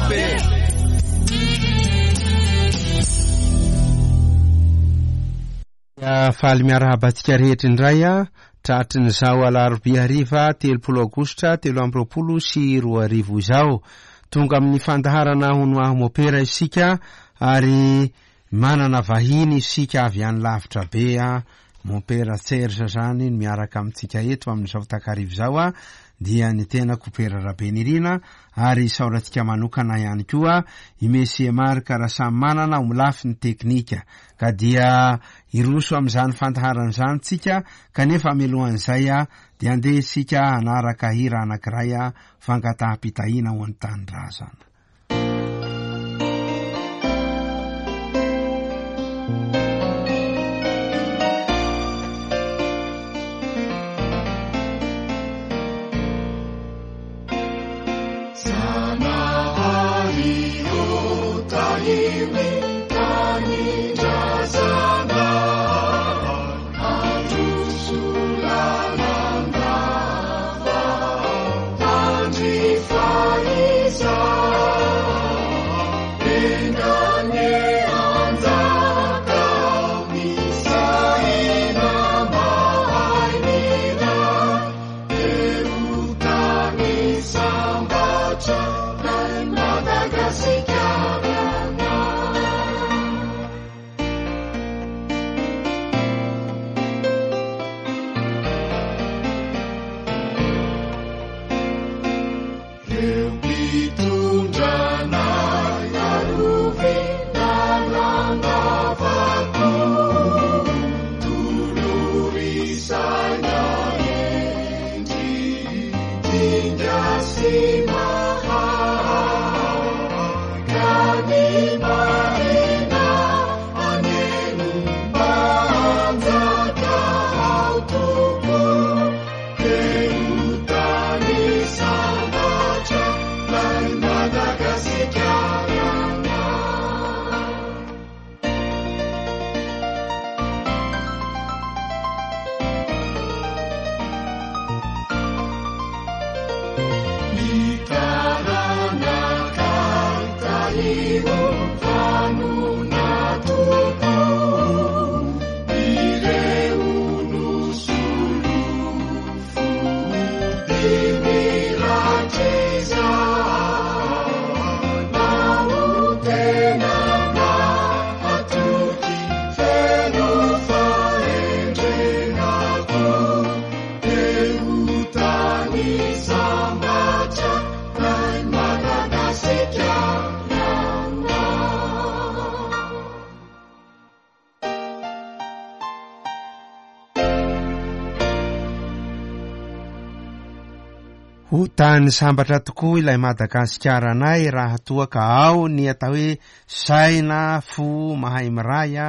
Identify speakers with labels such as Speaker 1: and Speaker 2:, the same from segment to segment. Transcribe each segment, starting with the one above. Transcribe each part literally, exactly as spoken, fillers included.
Speaker 1: Mopera.
Speaker 2: Faly miarahaba antsika rehetra indray a tratrin'izao alarobia hariva telopolo aogositra telo amby roapolo sy roa arivo izao. Tonga amin'ny fandaharana Hono Aho Mopera isika ary manana vahiny isika avy any lavitra be a Mompera Serge zany miaraka amintsika eto amin'izao takarivo izao a dia ny tenako Pera Rabenirina ary isaorantsika manokana ihany koa i Monsieur Marc Rasamanana ho lafiny teknika. Ka dia hiroso amin'izany fandaharana izany tsika, kanefa mialohan'izay a dia andeha isika hanaraka hira anankiray a fangataham-pitahiana ho an'ny tanindrazana. Ho tany sambatra tokoa ilay Madagasikara anay raha toa ka ao ny atao hoe saina, fo, mahay miray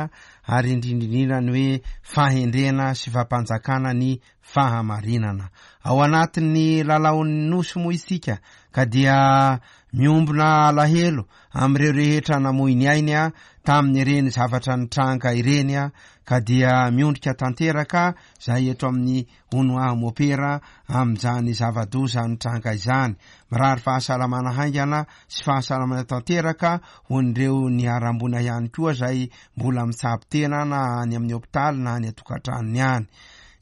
Speaker 2: ary indrindra indrindra ny hoe fahendrena sy fampanjakana ny fahamarinana. Ao anatin'ny lalaon'ny nosy moa isika ka dia miombona alahelo amin'ireo rehetra namoy ny ainy a tamin'ireny zavatra nitranga ireny a ka dia miondrika tanteraka zay eto amin'ny Hono Aho Mopera amin'izany zava-doza nitranga izany. Mirary fahasalamana haingana sy fahasalamana tanteraka ho an'ireo niharam-boina ihany koa zay mbola mitsabo tena na any amin'ny hopitaly na any an-tokantranony any.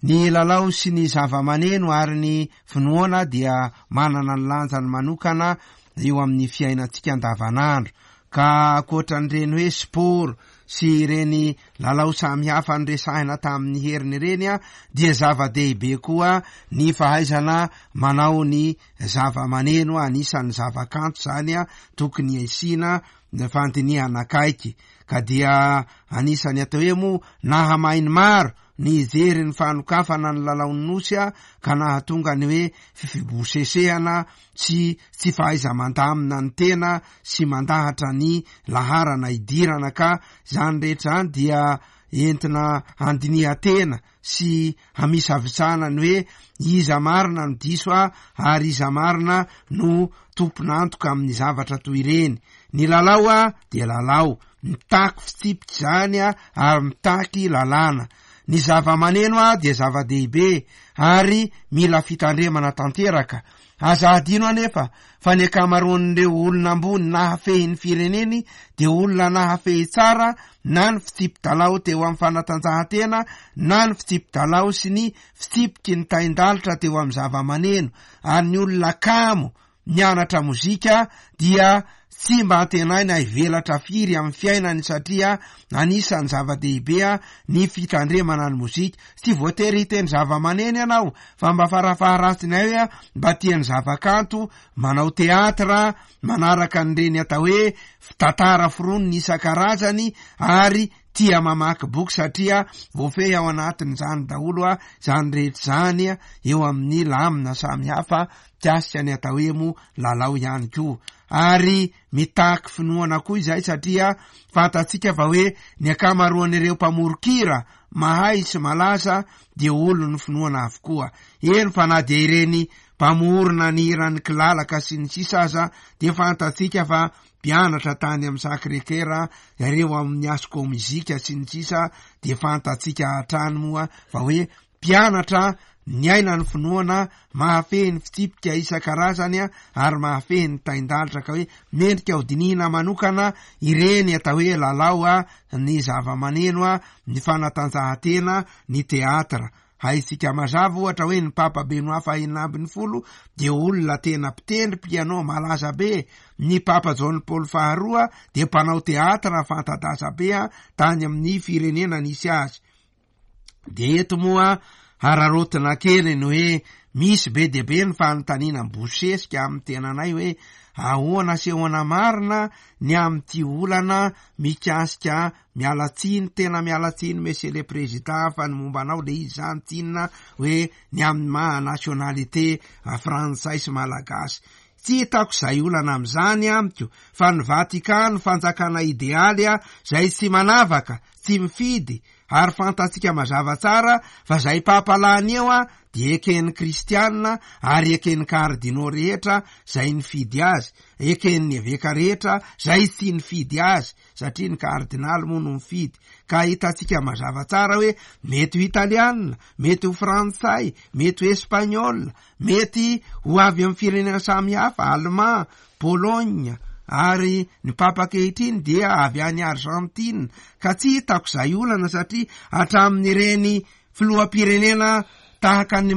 Speaker 2: Ny lalao sy ny zava-maneno ary ny finoana dia manana ny lanjany manokana eo amin'ny fiainantsika andavanandro. Ka ankoatran'ireny hoe sport sy ireny lalao samihafa noresahina tamin'ny heriny ireny a dia zava-dehibe koa ny fahaizana manao ny zava-maneno, anisan'ny zava-kanto zany a tokony asiana fandinihana akaiky. Ka dia anisan'ny atao hoe moa nahamay ny maro ny hijery ny fanokafana ny lalaon'ny nosy a ka nahatonga ny hoe fifibosesehana sy tsy fahaiza-mandamina ny tena sy mandahatra ny laharana idirana. Ka zany rehetra zany dia entina handinihan-tena sy hamisavisana ny hoe iza marina no diso a ary iza marina no tompon'antoka amin'ny zavatra toy ireny. Ny lalao a dia lalao, mitaky fitsipika zany a ary mitaky lalàna. Ny zava-maneno a dia zava-dehibe ary mila fitandremana tanteraka. Aza adino anefa fa ny ankamaroan'ireo olona ambony nahafehy ny fireneny dia olona nahafehy tsara na ny fitsipi-dalao teo amin'ny fanatanjahantena na ny fitsipi-dalao sy ny fitsipiky ny tain-dalitra teo amin'ny zava-maneno. Ary ny olona kamo mianatra mozika dia tsy mba antenaina hivelatra firy amin'ny fiainany, satria anisan'ny zava-dehibe a ny fitandremana ny mozika. Tsy voatery hiteny zava-maneno ianao, fa mba farafaharatsiny ay hoe mba tia ny zavakanto, manao teatra, manaraka an'ireny atao hoe tantara foronina isan-karazany, ary tia mamaky boky, satria voafehy ao anatin'izany daholo a zany rehetra zany a eo amin'ny lamina samihafa mikasika ny atao hoe mo lalao ihany koa. Ary mitaky finoana koa izay, satria fantatsika fa hoe ny ankamaroan'ireo mpamorokira mahay sy malaza dia olon'ny finoana avokoa. Eny fa na dia ireny mpamorona ny hiran'ny kilalaka sy ny sisa aza dia fantatsika fa mpianatra tany amin'ny Sacré-Cœur ireo amin'ny Asco muzika sy ny sisa, dia fantatsika hatrany moa fa hoe mpianatra niaina ny finoana, mahafehy ny fitsipika isan-karazany ary mahafehy ny tain-dalitra, ka hoe mendrika ho dinihina manokana ireny atao hoe lalao a, ny zava-maneno a, ny fanatanjahantena, ny teatra. Haintsika mazava ohatra hoe ny Papa Benoît fahenina ambin'ny folo dia olona tena mpitendry piano malaza be. Ny Papa John Paul faharoa dia mpanao teatra fanta-daza be a tany amin'ny firenena nisy azy. De eto moa hararotina kely ny hoe misy be dia be ny fanontaniana mibosesika amin'ny tenanay hoe ahoana sy ahoana marina ny amin'ity olana mikasika mialatsiny, tena mialatsiny monsieur le président, fa ny momba anao le izy zany tsinona hoe ny amin'ny maha nationalité frantsay sy malagasy. Tsy hitako izay olana amin'izany amiko, fa ny Vatikano fanjakana idealy a zay tsy manavaka, tsy mifidy, ary fantatsika mazava tsara fa zay papa lany eo a dia eken'ny kristianina ary eken'ny kardinao rehetra zay nifidy azy, eken'ny eveka rehetra zay tsy nifidy azy, satria ny kardinaly moa no mifidy. Ka hitantsika mazava tsara hoe mety ho italianina, mety ho frantsay, mety ho espagnol, mety ho avy amin'ny firenena samihafa, allemand, Pologne, ary ny papa ankehitriny dia avy any Argentine. Ka tsy hitako izay olana, satria hatramin'ireny filoham-pirenena tahaka ny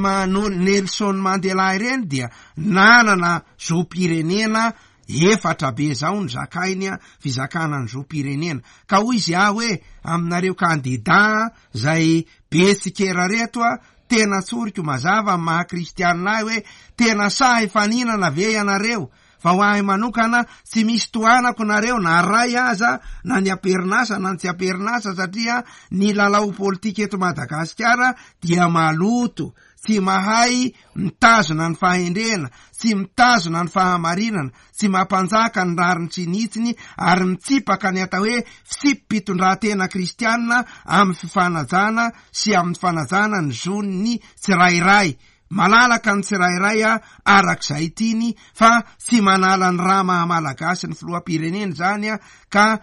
Speaker 2: Nelson Mandela ireny dia nanana zom-pirenena efatra be zao ny zakainy a fizakana ny zom-pirenena. Ka hoy izy aho hoe aminareo kandida zay be tsikera reto a, tena tsoriko mazava amin'ny maha kristianina ahy hoe tena sahy faninana ve ianareo? Fa ho ahy manokana tsy misy tohanako nareo na ray aza, na ny amperinasa na ny tsy amperinasa, satria ny lalao politika eto Madagasikara dia maloto, tsy mahay mitazona ny fahendrena, tsy mitazona ny fahamarinana, tsy mampanjaka ny rariny sy ny hitsiny, ary mitsipaka ny atao hoe fitsipi-pitondran-tena kristianina amin'ny fifanajana sy amin'ny fanajana ny zon'ny tsirairay. Malalaka ny tsirairay a arak'izay tiany, fa tsy manala ny raha maha-malagasy ny filoham-pirenena zany a. Ka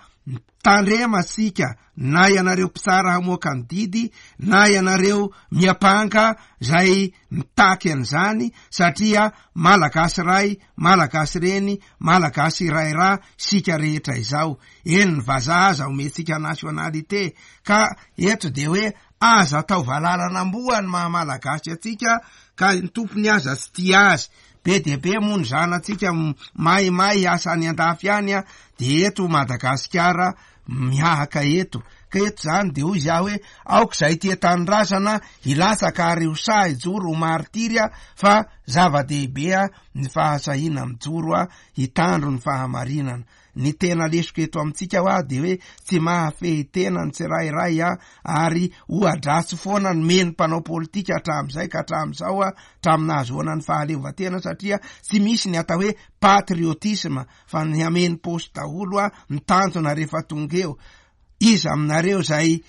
Speaker 2: tandrema sika, na ianareo mpitsara hamoaka ny didy, na ianareo miampanga zay mitaky an'izany, satria malagasy ray, malagasy reny, malagasy iray raha sika rehetra izao. Eny ny vazaha aza omentsika nationalité. Ka eto de hoe aza atao valalan'amboa ny maha-malagasy atsika, ka ny tompony aza tsy tia azy. Be dia be moa ny zanatsika maimay asa any andafy any a, de eto Madagasikara mihahaka eto. Ka eto zany de hoy izy aho hoe aoka izay tia tanindrazana hilatsaka ary ho sahy hijoro ho martiry a, fa zava-dehibe a ny fahasahiana mijoro a hitandro ny fahamarinana. Ny tena lesoka eto amintsika hoa de hoe tsy mahafehy tena ny tsirairay a, ary ohadratsy foana ny meny mpanao politika hatramin'izay ka hatramin'izao a, hatramin'ny nahazoana ny fahaleovantena, satria tsy misy ny atao hoe patriotisme fa ny hameno paosy daholo a ny tanjona rehefa tonga eo. Iza aminareo zay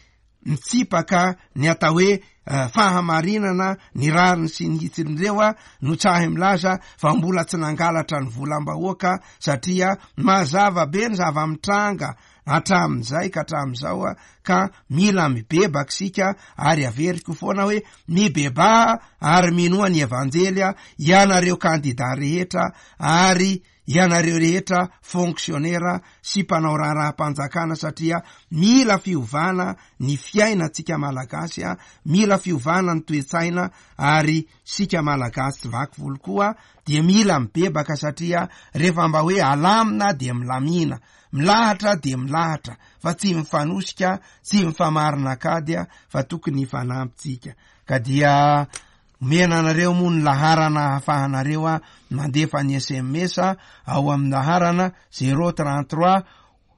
Speaker 2: mitsipaka ny atao hoe fahamarinana, ny rariny sy ny hitsin'ireo a no tsahy milaza fa mbola tsy nangalatra ny volam-bahoaka, satria mazava be ny zava-mitranga hatramin'izay ka hatramin'izao a ka mila mibebaka isika. Ary averiko foana hoe mibebaha ary minoa ny evanjely a ianareo kandida rehetra, ary ianareo rehetra fonctionnaire sy mpanao raharaham-panjakana, satria mila fiovana ny fiainantsika malagasy a mila fiovana ny toe-tsaina, ary sika malagasy tsy vaky volo koa dia mila mibebaka, satria rehefa mba hoe alamina dia milamina, milahatra dia milahatra, fa tsy mifanosika, tsy mifamarina kady a fa tokony hifanampitsika. Ka dia omena anareo moa ny laharana ahafahanareo a mandefa ny S M S ao amin'ny laharana zéro trente-trois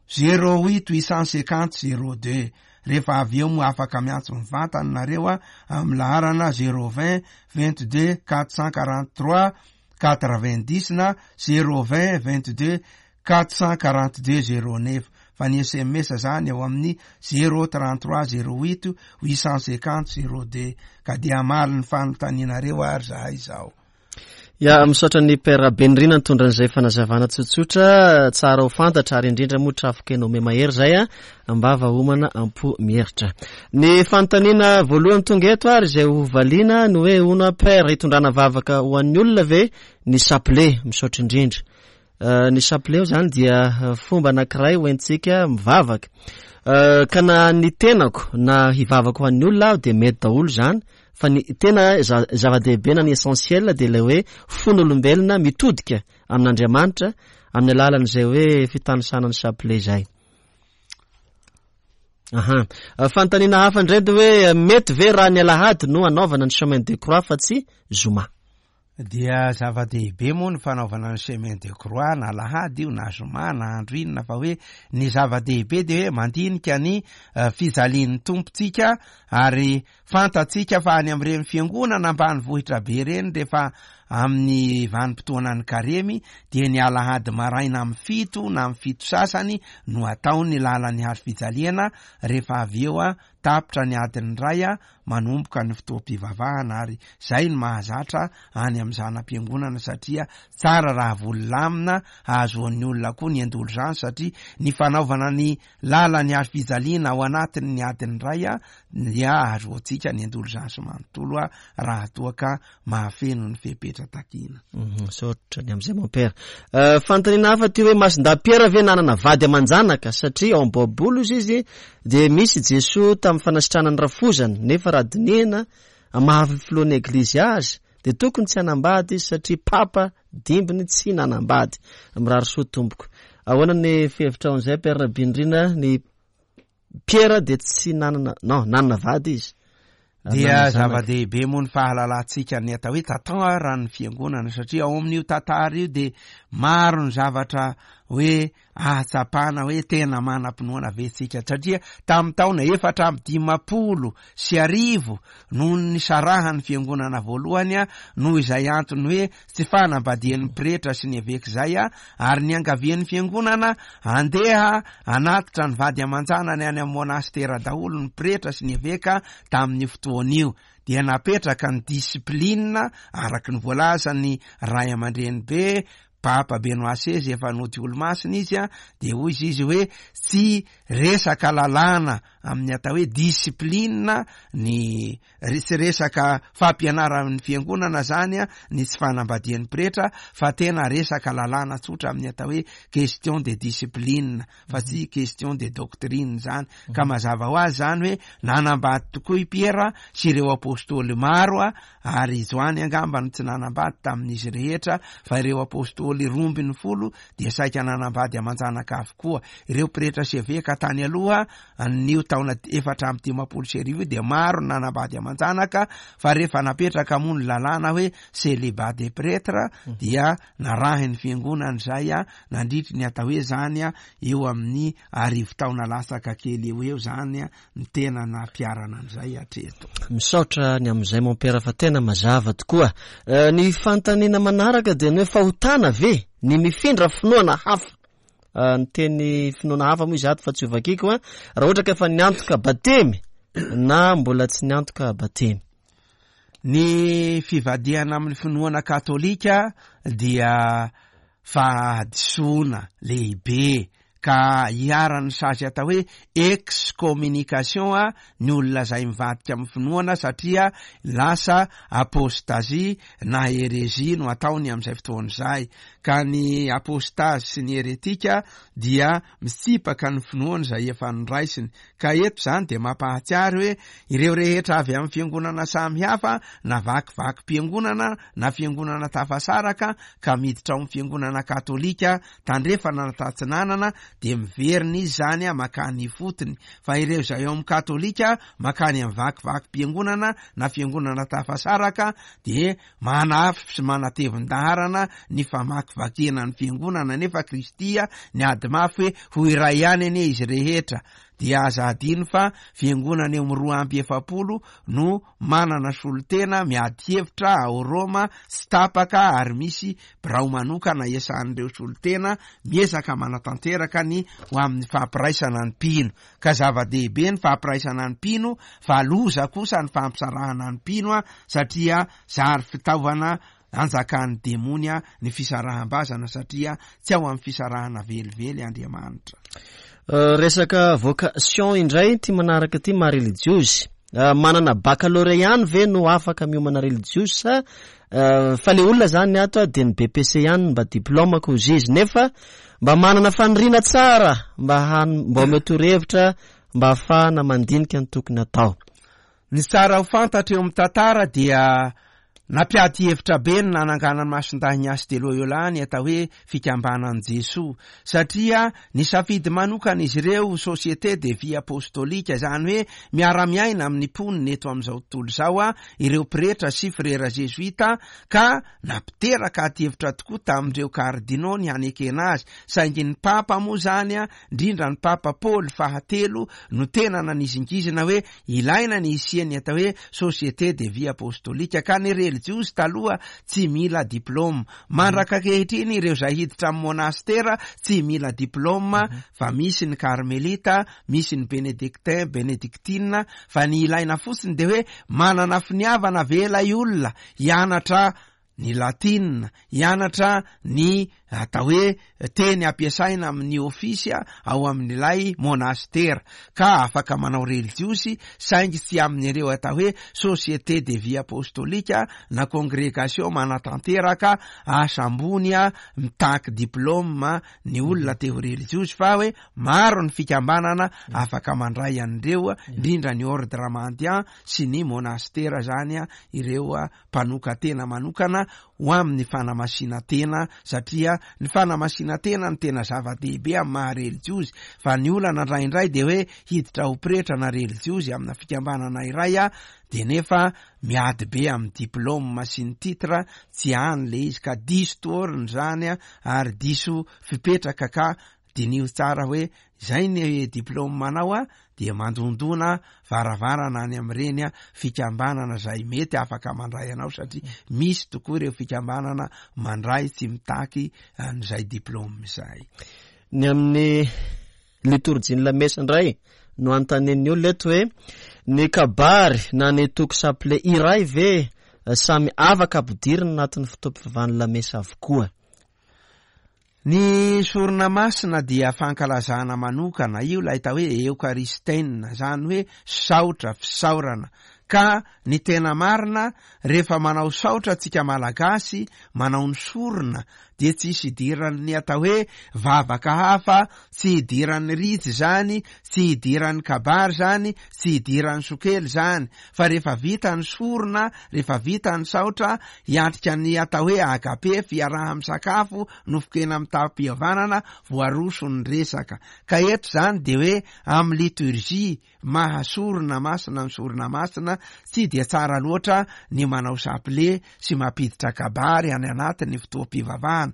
Speaker 2: zéro huit huit cent cinquante zéro deux. Rehefa avy eo moa afaka miantso mivantana nareo a amin'ny laharana zéro vingt vingt-deux quatre cent quarante-trois quatre-vingt-dix na zéro vingt vingt-deux quatre cent quarante-deux zéro neuf. Fa ny S M S zany ao amin'ny zéro trente-trois zéro huit huit cent cinquante zéro deux. Ka dia hamaly ny fanontanianareo ary zahay izao.
Speaker 1: Ya, misaotra ny Père Benirina nitondra an'izay fanazavana tsotsotra tsara ho fantatra, ary indrindra moa trafoka eno mahery zay a ambava homana ampo mieritra. Ny fanontaniana voalohany tonga eto ary izay ho valiana ny hoe hono Père hitondrana vavaka ho an'ny olona ve ny chapelet? Misaotra indrindra. Uh, ny chapelet zany dia fomba anankiray ho entintsika mivavaka. Uh, ka na ny tenako na hivavaka ho an'ny olona aho dia mety daholo zany, fa ny tena zava-dehibe na ny essentiel dia ilay hoe fon'olombelona mitodika amin'Andriamanitra amin'ny alalan'izay hoe fitanisana ny chapelet zay. Aha. Fanontaniana hafa indray dia hoe mety ve raha ny alahady no anaovana ny chemin de croix fa tsy zoma?
Speaker 2: Dia zava-dehibe moa ny fanaovana ny chemin de croix na alahady io na zoma na andro inona, fa hoe ny zava-dehibe dia hoe mandinika ny fijalian'ny tompontsika, ary fantatsika fa any amin'ireny fiangonana ambanivohitra be ireny rehefa amin'ny vanim-potoanan'ny karemy dia ny alahady maraina amin'ny fito na amin'ny fito sasany no atao ny lalan'ny hazo fijaliana. Rehefa avy eo a tapitra ny adiny iray a manomboka ny fotoam-pivavahana, ary zay no mahazatra any amin'ny zana-piangonana, satria tsara raha volamina hahazoan'ny olona koa ny indulgence, satria ny fanaovana ny lalan'ny hazo fijaliana ao anatin'ny adiny iray a dia ahazoantsika ny indulgence manontolo a raha toa ka mahafeno ny fepetra takina.
Speaker 1: Misaotra ny amin'izay mon père. Fanontaniana hafa ty hoe Masindahy Piera ve nanana vady aman-janaka, satria ao am-baiboly izy izy dia misy Jesoa tamin'ny fanasitranany rafozany, nefa raha dinihina maha filohan'ny eglizy azy dia tokony tsy hanambady izy satria papa dimbiny tsy nanambady. Mirary soa tompoko. Ahoana ny fihevitrao an'izay Père Benirina? Ny Piera dia tsy nanana, non, nanana vady izy.
Speaker 2: Dia zava-dehibe moa ny fahalalantsika ny atao hoe tantara ny fiangonana, satria ao amin'io tantara io dia maro ny zavatra hoe ahatsapana hoe tena manam-pinoana ve tsika, satria tamin'ny taona efatra amby dimampolo sy arivo no nisarahan'ny fiangonana voalohany a noho izay antony hoe tsy fanambadian'ny pretra sy ny eveka izay a ary niangavian'ny fiangonana andeha anatitra ny vady aman-janany any amin'ny monastera daholo ny pretra sy ny eveka tamin'ny fotoana io. Dia napetraka ny discipline araky ny voalazan'ny ray aman-dreny be Papa Benoît seize efa nody olomasina izy a dia hoy izy izy hoe tsy resaka lalàna amin'ny atao hoe discipline ny tsy resaka fampianaran'ny fiangonana zany a ny tsy fanambadian'ny pretra, fa tena resaka lalàna tsotra amin'ny atao hoe question de discipline fa tsy question de doctrine zany. Ka mazava ho azy zany hoe nanambady tokoa i Piera sy ireo apôstôly maro a ary Joany angamba no tsy nanambady tamin'izy rehetra, fa ireo apôstôly roa ambin'ny folo dia saika nanambady aman-janaka avokoa. Ireo pretra sy eveka tany aloha an'io taona efatra amby dimampolo sy arivo dia maro nanambady aman-janaka, fa rehefa napetraka moa ny lalàna hoe célibat des prêtres dia narahin'ny fiangonana izay a nandritry ny atao hoe zany a eo amin'ny arivo taona latsaka kely eo eo zany a ny tena nampiarana an'izay hatreto.
Speaker 1: Misaotra ny amin'izay mon père fa tena mazava tokoa. Ny fanontaniana manaraka dia ny hoe fahotana ve ny mifindra finoana hafa? Ny teny finoana hafa moa izy ato fa tsy hovakiko a. Raha ohatra ka efa niantoka batemy na mbola tsy niantoka batemy?
Speaker 2: Ny fivadihana amin'ny finoana katolika dia fahadisoana lehibe ka iharan'ny sazy atao hoe excommunication a ny olona izay mivadika amin'ny finoana, satria lasa apostasie na hérésie no ataony amin'izay fotoana izay. Ka ny apostasie sy ny heretika dia mitsipaka ny finoana izay efa noraisiny. Ka eto izany dia mampahatsiary hoe ireo rehetra avy amin'ny fiangonana samihafa na vakivakim-piangonana na fiangonana tafasaraka ka miditra ao amin'ny fiangonana katolika tandrefana na tatsinanana dia miverina izy zany a makany ifotony, fa ireo izay ao amin'ny katolika makany amin'ny vakivakim-piangonana na fiangonana tafasaraka dia manafy sy manatevin-daharana ny famakivakiana ny fiangonana, nefa Kristy niady mafy hoe ho iray ihany anie izy rehetra. Dia aza adino fa fiangonana eo amin'ny roa amby efapolo no manana solontena miady hevitra ao Roma tsy tapaka, ary misy birao manokana iasan'ireo solontena miezaka manatanteraka ny ho amin'ny fampiraisana ny mpino. Ka zava-dehibe ny fampiraisana ny mpino, fa loza kosa ny fampisarahana ny mpino a, satria zary fitaovana anjakan'ny demonia ny fisaraham-bazana, satria tsy ao amin'ny fisarahana velively Andriamanitra.
Speaker 1: Resaka vocation indray ty manaraka ty maha relijiozy. Manana baccalauréat ihany ve no afaka miomana relijiozy sa fa le olona zany ato dia ny B P C ihany mba diplôme ko izy izy, nefa mba manana faniriana tsara mba han-, mba omeo torohevitra mba ahafahana mandinika ny tokony atao.
Speaker 2: Ny tsara ho fantatra eo amin'ny tantara dia nampiady hevitra be ny nananganan'ny Masindahy Ignace de Loyola ny atao hoe fikambanan'i Jesoa, satria nisafidy manokana izy ireo société de vie apostolique, izany hoe miara-miaina amin'ny mponina eto amin'izao tontolo izao a ireo pretra sy frera jesuita, ka nampiteraka ady hevitra tokoa tamin'ireo kardinao ny hanekena azy. Saingy ny papa moa zany a, indrindra ny papa Paoly fahatelo no tena nanizingizina hoe ilaina ny hisian'ny atao hoe société de vie apostolique, ka ny relijiozy taloha tsy mila diplôme. Mandraka ankehitriny ireo izay hiditra amin'ny monastera tsy mila diplôme, fa misy ny karmelita, misy ny bénédictin, bénédictine, fa ny ilaina fotsiny dia hoe manana finiavana ve ilay olona hianatra ny latina, hianatra ny atao hoe teny ampiasaina amin'ny ofisy ao amin'ilay monastera, ka afaka manao relijiozy, saingy tsy amin'ireo atao hoe société de vie apostolique na congrégation manatanteraka asa ambony a mitaky diplôme ny olona te ho relijiozy, fa hoe maro ny fikambanana afaka mandray an'ireo, indrindra ny ordre mendiant sy ny monastera zany a, ireo mpanoka-tena manokana ho amin'ny fanamasinan-tena, satria ny fanamasinan-tena no tena zava-dehibe amin'ny maha relijiozy. Fa ny olana indraindray dia hoe hiditra ho pretra na relijiozy amina fikambanana iray a, dia nefa miady be amin'ny diplôme sy ny titre, tsy any le izy, ka diso toerana zany a, ary diso fipetraka. Ka diniho tsara hoe izay ny diplôme anao a, dia mandondona varavarana any amin'ireny a fikambanana izay mety afaka mandray anao, satria misy tokoa ireo fikambanana mandray tsy mitaky an'izay diplôme izay.
Speaker 1: Ny amin'ny litorjia ny lamesa indray no anontanian'ny olona eto hoe ny kabary na ny toko saple iray ve samy afaka ampidirina anatin'ny fotoam-pivavahan'ny lamesa avokoa?
Speaker 2: Ny sorona masina dia fankalazana manokana, io ilay atao hoe eokaristena, izany hoe saotra, fisaorana. Ka ny tena marina, rehefa manao saotra tsika malagasy, manao ny sorona, dia tsisy idiran'ny atao hoe vavaka hafa, tsy idiran'ny ritsy zany, tsy idiran'ny kabary zany, tsy idiran'ny sokely zany. Fa rehefa vita ny sorona, rehefa vita ny saotra, hiatrika ny atao hoe agape, fiaraha-misakafo, nofon-kena mitam-pihavanana, voaroso ny resaka. Ka eto zany dia hoe amin'ny liturgie mahasorona masina ny sorona masina, tsy dia tsara loatra ny manao saple sy mampiditra kabary any anatin'ny fotoam-pivavahana.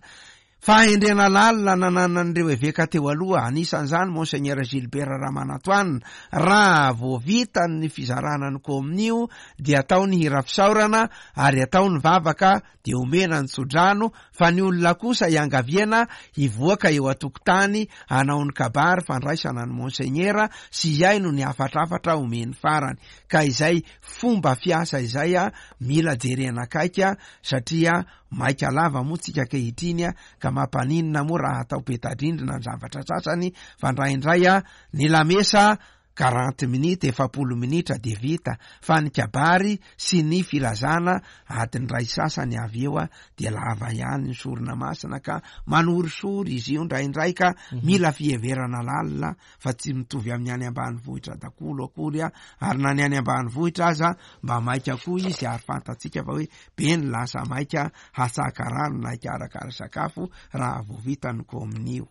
Speaker 2: Fahendrena lalina nananan'ireo eveka teo aloha, anisan'izany Monseigneur Gilbert Ramanantoanina, raha vao vita ny fizarana ny kominio dia atao ny hira fisaorana ary atao ny vavaka dia omena ny tsodrano, fa ny olona kosa iangaviana hivoaka eo an-tokotany hanao ny kabary fandraisana ny Monseigneur sy hihaino ny hafatrafatra omeny farany. Ka izay fomba fiasa izay a mila jerena akaiky satria maika lava moa tsika ankehitriny ka mampaninona moa raha atao peta-drindrina ny zavatra sasany, fa indraindray a ny lamesa quarante minutes, efapolo minitra dia vita, fa ny kabary sy ny filazana adiny iray sasany avy eo a dia lava ihany ny sorona masina ka manorisory izy io indraindray ka mila fiheverana lalina fa tsy mitovy amin'ny any ambanivohitra daholo akory a, ary na ny any ambanivohitra aza mba maika koa izy ary fantatsika fa hoe be ny lasa maika hatsaka rano na hikarakara sakafo raha vao vita ny kominio.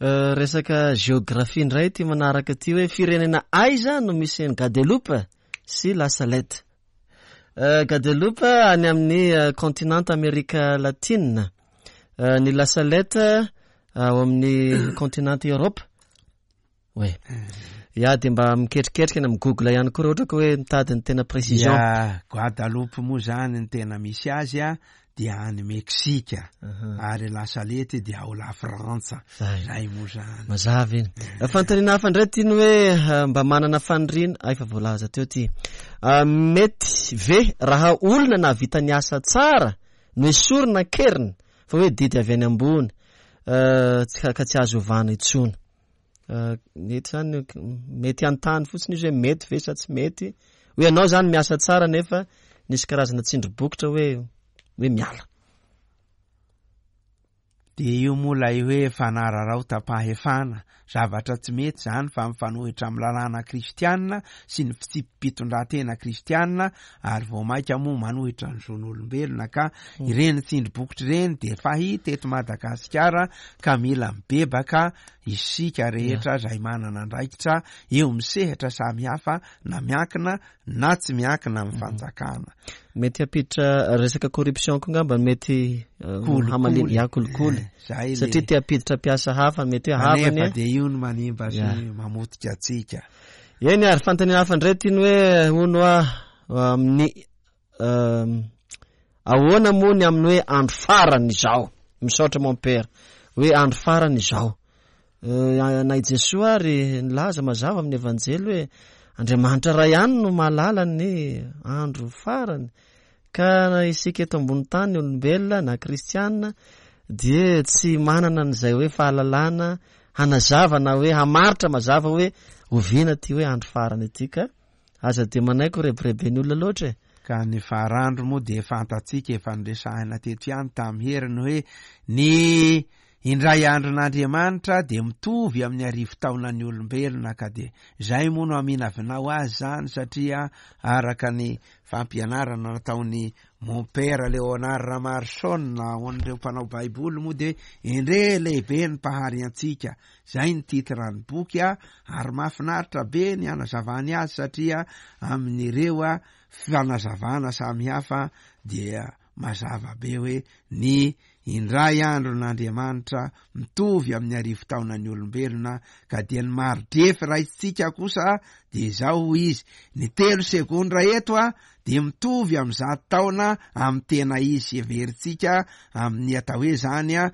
Speaker 1: Resaka géographie indray ty manaraka ty hoe firenena aiza no misy ny Guadeloupe sy La Salette. Guadeloupe any amin'ny continent Amerika Latine, ny La Salette ao amin'ny continent Europe. Oui. Ya dia mba miketriketrika na mi-google ihany koa raha ohatra ka hoe mitady ny tena précision.
Speaker 2: Ya, Guadeloupe moa zany ny tena misy azy a dia any Meksika, ary La Salette dia ao La Frantsa. Zay moa zany.
Speaker 1: Mazava iny. Fanontaniana hafa indray ty ny hoe mba manana faniriana, ah, efa voalaza teo ty. Mety ve raha olona nahavita ny asa tsara no esorina an-keriny fa hoe didy avy any ambony ka tsy azo ovana intsony? Mety zany, mety hanontany fotsiny izy hoe mety ve sa tsy mety? Hoe ianao zany miasa tsara nefa nisy karazana tsindry bokotra hoe hoe miala.
Speaker 2: Dia io moa ilay hoe fanararaotam-pahefana, zavatra tsy mety zany fa mifanohitra amin'ny lalàna kristianina sy ny fitsipi-pitondran-tena kristianina ary vao mainka moa manohitra ny zon'olombelona ka ireny tsindry bokotra ireny dia fahita eto Madagasikara ka mila mibebaka isika rehetra izay manana andraikitra eo amin'ny sehatra samihafa na miankina na tsy miankina amin'ny fanjakana.
Speaker 1: Mety hampiditra resaka corruption koa ngamba mety hamalina ya kolikoly satria te hampiditra mpiasa hafa mety hoe havany
Speaker 2: nefa dia io no manimba sy mamotika antsika.
Speaker 1: Eny ary fanontaniana hafa indray ty ny hoe hono a amin'ny ahoana moa ny amin'ny hoe andro farany izao? Misaotra mon père hoe andro farany izao. Na i Jesoa ary nilaza mazava amin'ny evanjely hoe Andriamanitra ray ihany no mahalala ny andro farany ka na isika eto ambony tany olombelona na kristianina dia tsy manana an'izay hoe fahalalana hanazava na hoe hamaritra mazava hoe oviana ty hoe andro farany ity ka aza dia manaiky ho rebireben'ny olona loatra e.
Speaker 2: Ka ny farandro moa dia fantatsika efa noresahina teto ihany tamin'ny heriny hoe ny indray andron'Andriamanitra dia mitovy amin'ny arivo taonan'ny olombelona ka dia zay moa no aminavinao azy zany satria araka ny fampianarana nataony mon père Léonard Ramarson ho an'ireo mpanao baiboly moa dia endre lehibe ny mpahary antsika, zay ny titre ny boky a ary mahafinaritra be ny anazavany azy satria amin'ireo a fanazavana samihafa dia mazava be hoe ny indray andron'Andriamanitra mitovy amin'ny arivo taonan'ny olombelona ka dia ny mari-drefy raisitsika kosa dia izao izy ny telo segondra eto a dia mitovy amin'ny zato taona amin'ny tena izy heverintsika amin'ny atao hoe zany a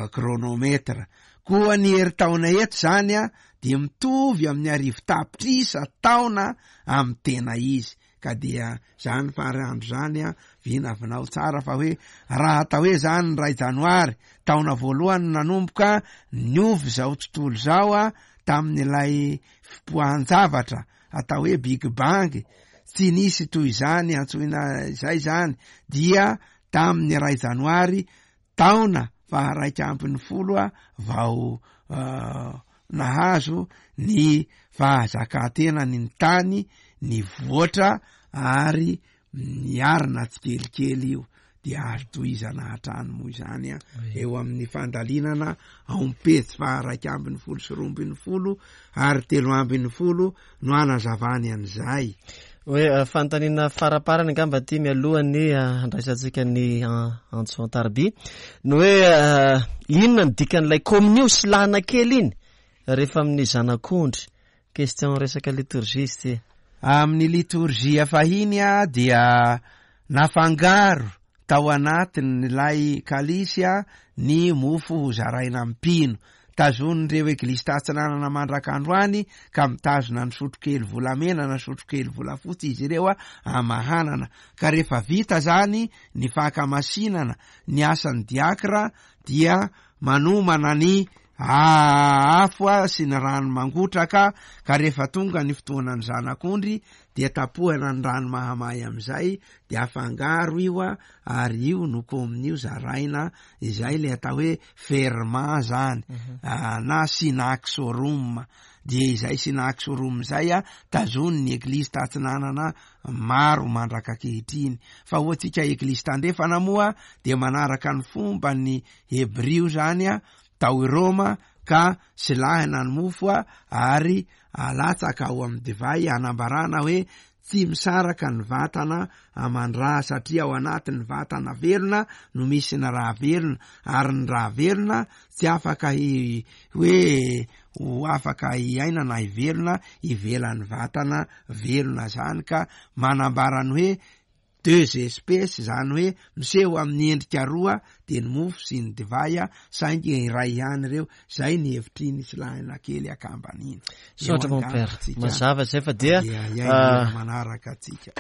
Speaker 2: chronomètre, koa ny herintaona eto zany a dia mitovy amin'ny arivo tapitrisa taona amin'ny tena izy ka dia zany farandro zany a vinavinao tsara fa hoe raha atao hoe zany ny ray janoary taona voalohany nanomboka niovy zao tontolo zao a tamin'ilay fipoahan-javatra atao hoe Big Bang tsy nisy toy izany antsoina izay zany dia tamin'ny ray janoary taona faharaika ambin'ny folo a vao nahazo ny fahazakantena ny tany nivoatra ary niarina tsikelikely io dia azo tohizana hatrany moa izany a eo amin'ny fandalinana ao am-pejy faharaika ambin'ny folo sy roa ambin'ny folo ary telo ambin'ny folo no anazavany an'izay.
Speaker 1: Hoe fanontaniana faraparany angamba ty mialohan'ny handraisantsika ny antso an-tariby. Ny hoe inona ny dikan'ilay kominio sy lana kely iny rehefa amin'ny zanak'ondry? Question resaka liturgie izy ty.
Speaker 2: Amin'ny liturgie fahiny a dia nafangaro tao anatin'ilay kalisy a ny mofo ho zaraina amin'ny mpino. Tazonin'ireo eglizy tatsinanana mandrak'androany ka mitazona ny sotrokely volamena na sotrokely volafotsy izy ireo a amahanana. Ka rehefa vita zany ny fankamasinana ny asan'ny diakra dia manomana ny afo sy ny rano mangotraka, ka rehefa tonga ny fotoanan'ny zanak'ondry dia tapohana ny rano mahamay amin'izay dia afangaro io a, ary io no kominio zaraina, izay le atao hoe ferment zany, na synaxorum. Dia izay synaxorum izay a tazonin'ny eglizy tatsinanana maro mandrak'ankehitriny. Fa ho antsika eglizy tandrefana moa dia manaraka ny fomba ny hebrio zany a tao Roma, ka silahina ny mofo a ary alatsaka ao amin'ny divay anambarana hoe tsy misaraka ny vatana aman-dra, satria ao anatin'ny vatana velona no misy ny raha velona, ary ny raha velona tsy afaka hi-, hoe ho afaka hiaina na hivelona ivelan'ny vatana velona zany. Ka manambara ny hoe deux espèces, zany hoe miseho amin'ny endrika roa dia ny mofo sy ny divay, saingy iray ihany ireo. Zay ny hevitry ny silahina kely akambana iny.
Speaker 1: Misaotra mon père, mazava zay fa dia
Speaker 2: manaraka atsika.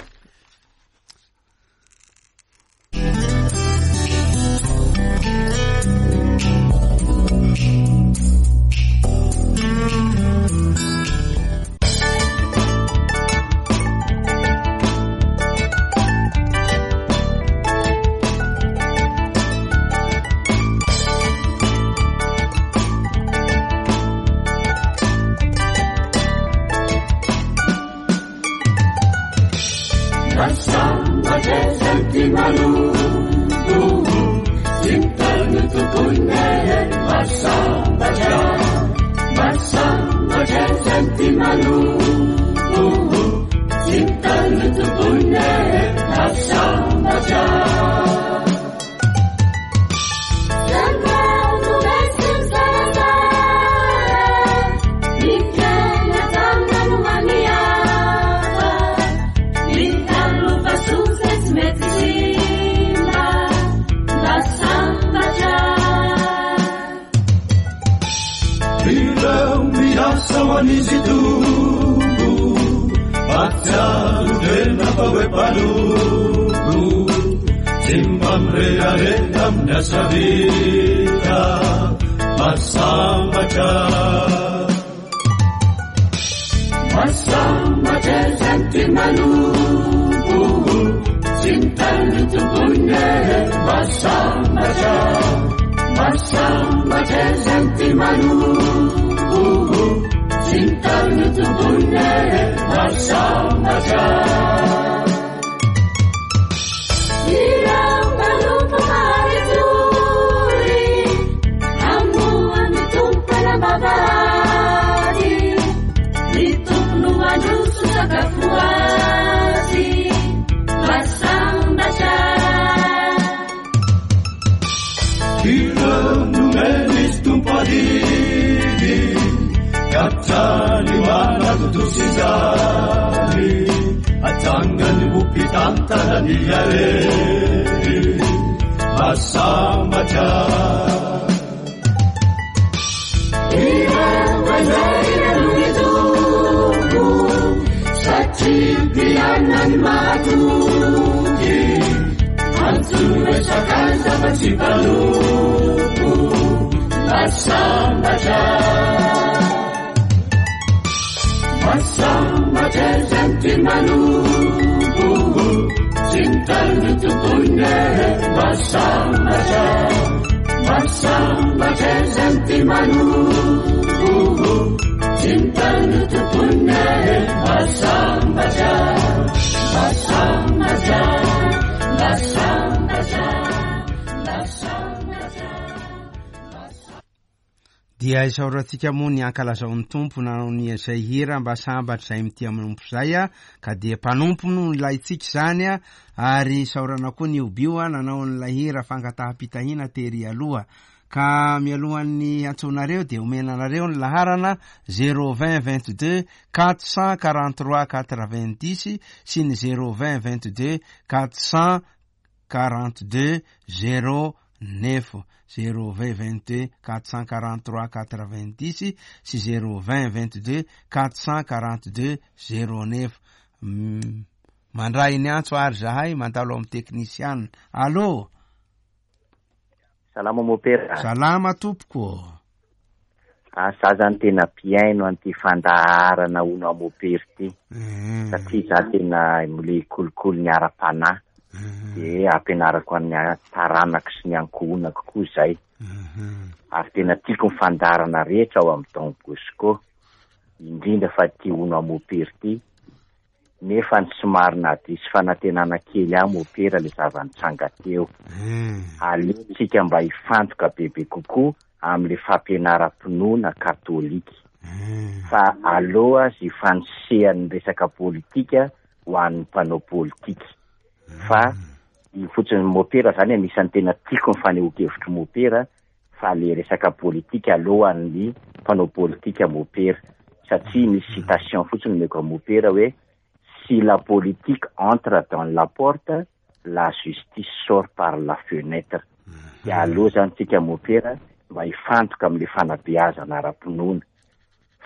Speaker 2: Dia isaorantsika moa ny ankalazaon'ny Tompo nanao ny izay hira mba sambatra izay mitia manompo izay a, ka dia mpanompo no ilaintsika izany a, ary isaorana koa ny Obio a nanao an'ilay hira fangataham-pitahiana tery aloha. Ka mialohan'ny antsonareo dia omena anareo ny laharana zéro vingt vingt deux quatre cent quarante trois quatre vingt dix sy ny zéro vingt vingt deux quatre cent quarante deux zéro neuf, zéro vingt vingt deux quatre cent quarante trois quatre vingt dix sy zéro vingt vingt deux quatre cent quarante deux zéro neuf. Mandray ny antso ary zahay mandalo amin'ny teknisiana. Allô?
Speaker 3: Salama mopera.
Speaker 2: Salama tompoko.
Speaker 3: Ah, za zany tena mpihaino an'ity fandaharana ono amopery ity. Satria za tena mle kolikoly ny ara-panahy. Dia ampianarako an'ny taranako sy ny ankohonako koa zay. Ary tena tiako ny fandaharana rehetra ao amin'ny Don Bosco, indrindra fa ty ono amopery ity. Nefa ny somary nadiso fanantenana kely aho mopera le zava-nitranga teo. Aleontsika mba hifantoka bebe kokoa amin'le fampianaram-pinoana katolika. Fa aloha zy fanesehan'ny resaka politika ho an'ny mpanao politika. Fa io fotsiny mopera zany anisan'ny tena tiako ny fanehoan-kevitry mopera, fa le resaka politika alohan'ny mpanao politika mopera. Satria misy citation fotsiny omeko amin'ny mopera hoe si la politique entre dans la porte, la justice sort par la fenêtre. Dia aloha zany tsika mopera mba hifantoka amin'le fanabeazana ara-pinoana.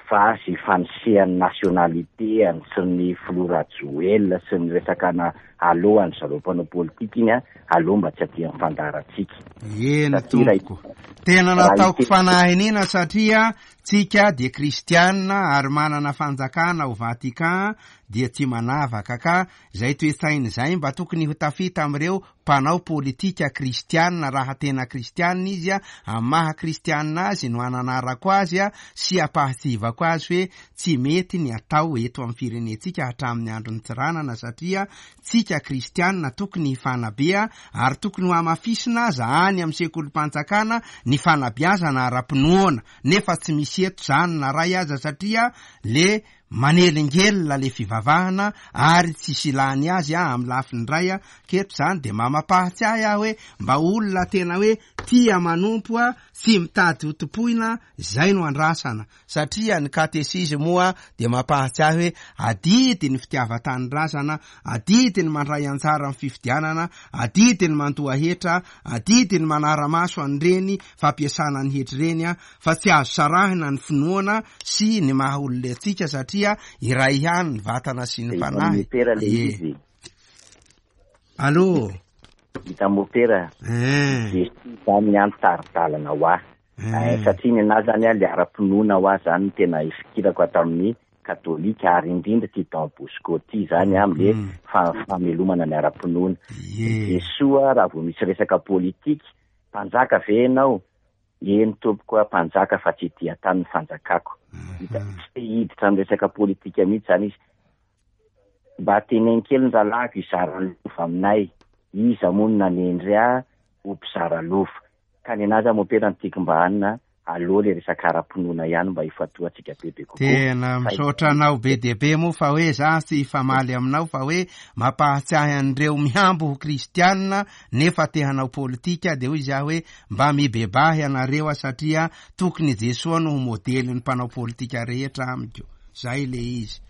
Speaker 3: Fa sy fanesehan'ny nationalité any sy ny filoha Rajoelina sy ny resaka na alohan'ny zareo mpanao politika iny a, aloha mba tsy aty amin'ny fandaharantsika.
Speaker 2: Eny,
Speaker 3: Satria raha
Speaker 2: tompoko. Tena
Speaker 3: raha
Speaker 2: nataoko
Speaker 3: ite-
Speaker 2: fanahinina satria tsika dia kristianina ary manana fanjakana ao Vatican dia tsy manavaka ka izay toe-tsaina izay mba tokony ho tafita amin'ireo mpanao politika kristianina raha tena kristianina izy a, amin'ny maha kristianina azy no ananarako azy a, sy ampahatsivako azy hoe tsy mety ny atao eto amin'ny firenentsika hatramin'ny andron'ny tsiranana satria tsika kristianina tokony hifanabe ary tokony ho hamafisina aza any amin'ny sekolim-panjakana ny fanabeazana ara-pinoana nefa tsy misy eto zany na ray aza satria le manelingelina le fivavahana ary tsisy ilany azy a amin'ny lafiny ray a, keto zany de mamapahatsiahy aho hoe mba olona tena hoe tia manompo a, tsy mitady ho tompoina, zay no andrasana satria ny katesizy moa de mampahatsiahy hoe adidy ny fitiavan-tanindrazana, adidy ny mandray anjara amin'ny fifidianana, adidy ny mandoa hetra, adidy ny manara-maso an'ireny fampiasana ny hetra ireny a, fa tsy azo sarahina ny finoana sy ny maha olona antsika satria iray ihany ny vatana sy ny
Speaker 3: Hita
Speaker 2: fanahy.
Speaker 3: mopera le
Speaker 2: Ie.
Speaker 3: izy.
Speaker 2: Allô?
Speaker 3: Hita mopera.
Speaker 2: Eh.
Speaker 3: Jesoa zany ny antari-dalana ho ahy.
Speaker 2: Eh.
Speaker 3: Eh, satria ny anahy zany a, le ara-pinoana ho ahy zany no tena ifikirako ato amin'ny katolika ary indrindra ty Don Bosco ty zany a, am'le
Speaker 2: Mm.
Speaker 3: fa-, famelomana ny ara-pinoana.
Speaker 2: Ie.
Speaker 3: Jesoa raha vao misy resaka politika, mpanjaka ve ianao? Eny tompoko a, mpanjaka fa tsy ety an-tany ny fanjakako. Hita, tsy te hiditra amin'ny resaka politika mihitsy zany izy. Mba teneno kely ny rahalahiko hizara ny lova aminay. Iza moa no nanendry ahy ho mpizara lova? Ka ny anahy zany mopera ny tiako mba hanina, aloha le resaka ara-pinoana ihany mba hifantohantsika bebe kokoa.
Speaker 2: Tena misaotra anao be dia be moa fa hoe za tsy hifamaly aminao fa hoe mampahatsiahy an'ireo mihambo ho kristianina nefa te hanao politika de hoy izy aho hoe mba mibebahy ianareo a satria tokony Jesoa no ho modelin'ny mpanao politika rehetra amiko. Zay le izy.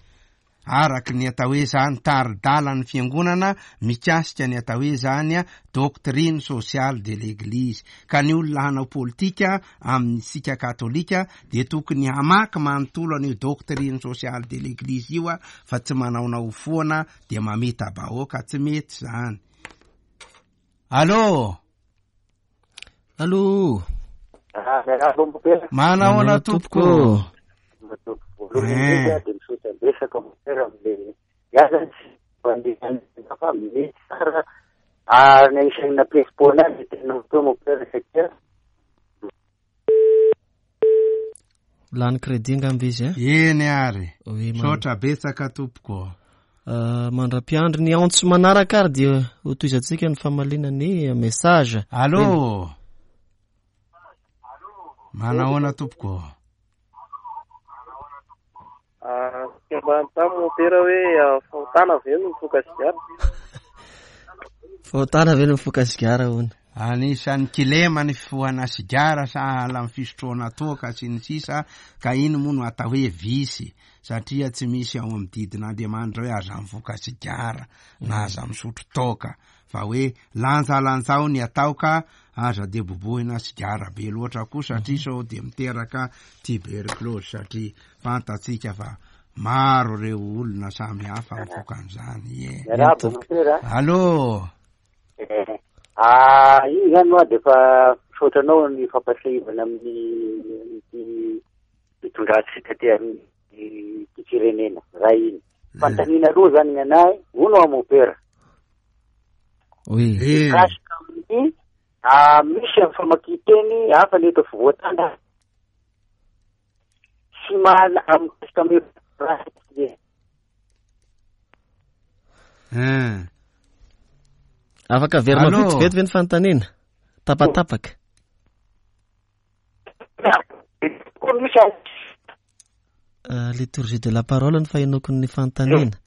Speaker 2: Araky ny atao hoe zany tari-dalan'ny fiangonana mikasika ny atao hoe zany a doctrine sociale de l'église. Ka ny olona hanao politika amintsika katolika de tokony hamaky manontolo an'io doctrine sociale de l'église io a, fa tsy manaonao foana de mamita-bahoaka, tsy mety zany. Allô?
Speaker 1: Allô?
Speaker 2: Manahoana tompoko?
Speaker 4: Voalohany indrindra dia misaotra betsaka mopera amin'le ia zany tsy mandeha fa mety tsara ary ny anisan'ny nampiesipoana azy tena teo mopera satria
Speaker 1: Lany crédit angamba izy a.
Speaker 2: Eny ary.
Speaker 1: Oui, man-
Speaker 2: Misaotra betsaka tompoko.
Speaker 1: Ah, mandra-piandry ny antso manaraka ary dia ho tohizantsika ny famaliana ny message.
Speaker 2: Allô? Manahoana tompoko?
Speaker 5: Ah, mba hanontany mopera hoe fahotana ve no mifoka sigara?
Speaker 1: Fahotana ve no mifoka sigara hono?
Speaker 2: Anisan'ny kilema ny fifohana sigara sahala amin'ny fisotroana toaka sy ny sisa, ka iny moa no atao hoe visy, satria tsy misy ao amin'ny didin'Andriamanitra hoe aza mifoka sigara na aza misotro toaka, fa hoe lanjalanjao ny atao ka aza de bobohina sigara be loatra koa, satria sao de miteraka tuberculose, satria fantatsika fa maro ireo olona samy hafa mifoka an'izany. Ie.
Speaker 4: Miarahaba mopera.
Speaker 2: Allô.
Speaker 4: Ah, iny zany moa de efa misaotra anao ny fampahatsiahivana amin'ny ity fitondrantsika ty amin'ny ity firenena ray iny. Fanontaniana aloha zany ny anahy, hono aho mopera.
Speaker 1: Oui.
Speaker 2: Eh.
Speaker 4: Mikasika amin'ny, ah, misy amin'ny famakian-teny hafa ny eto afovoan-tany. Tsy mahala mikasika amin'ny raha.
Speaker 2: Eh.
Speaker 1: Afaka averina
Speaker 2: Allô?
Speaker 1: vetivety ve ny fanontaniana? Tapatapaka. Euh, liturgie de la parole ny fahenoko ny fanontaniana.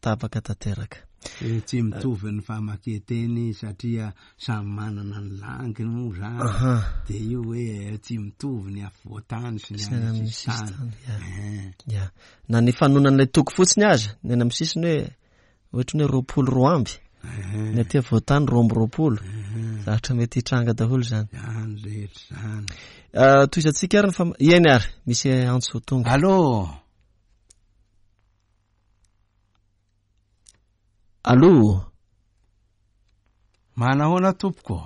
Speaker 1: Tapaka tanteraka.
Speaker 2: Eh, tsy mitovy ny famakian-teny satria samy manana ny langiny moa zany.
Speaker 1: Aha.
Speaker 2: De io hoe tsy mitovy ny afovoan-tany sy ny
Speaker 1: Sy ny
Speaker 2: any
Speaker 1: any amin'ny
Speaker 2: sisintany.
Speaker 1: sisintany, ya.
Speaker 2: Eh.
Speaker 1: Ya. Na ny fanonan'ilay toko fotsiny aza, ny any amin'ny sisiny hoe ohatry ny hoe roapolo roa amby.
Speaker 2: Eh.
Speaker 1: Ny aty afovoan-tany roa amby roapolo.
Speaker 2: Eh.
Speaker 1: Zavatra mety hitranga daholo zany.
Speaker 2: Zany rehetra zany.
Speaker 1: Euh, tohizantsika ary ny fam-, eny ary, misy antso tonga.
Speaker 2: Allô?
Speaker 1: Allô?
Speaker 2: Manahoana tompoko?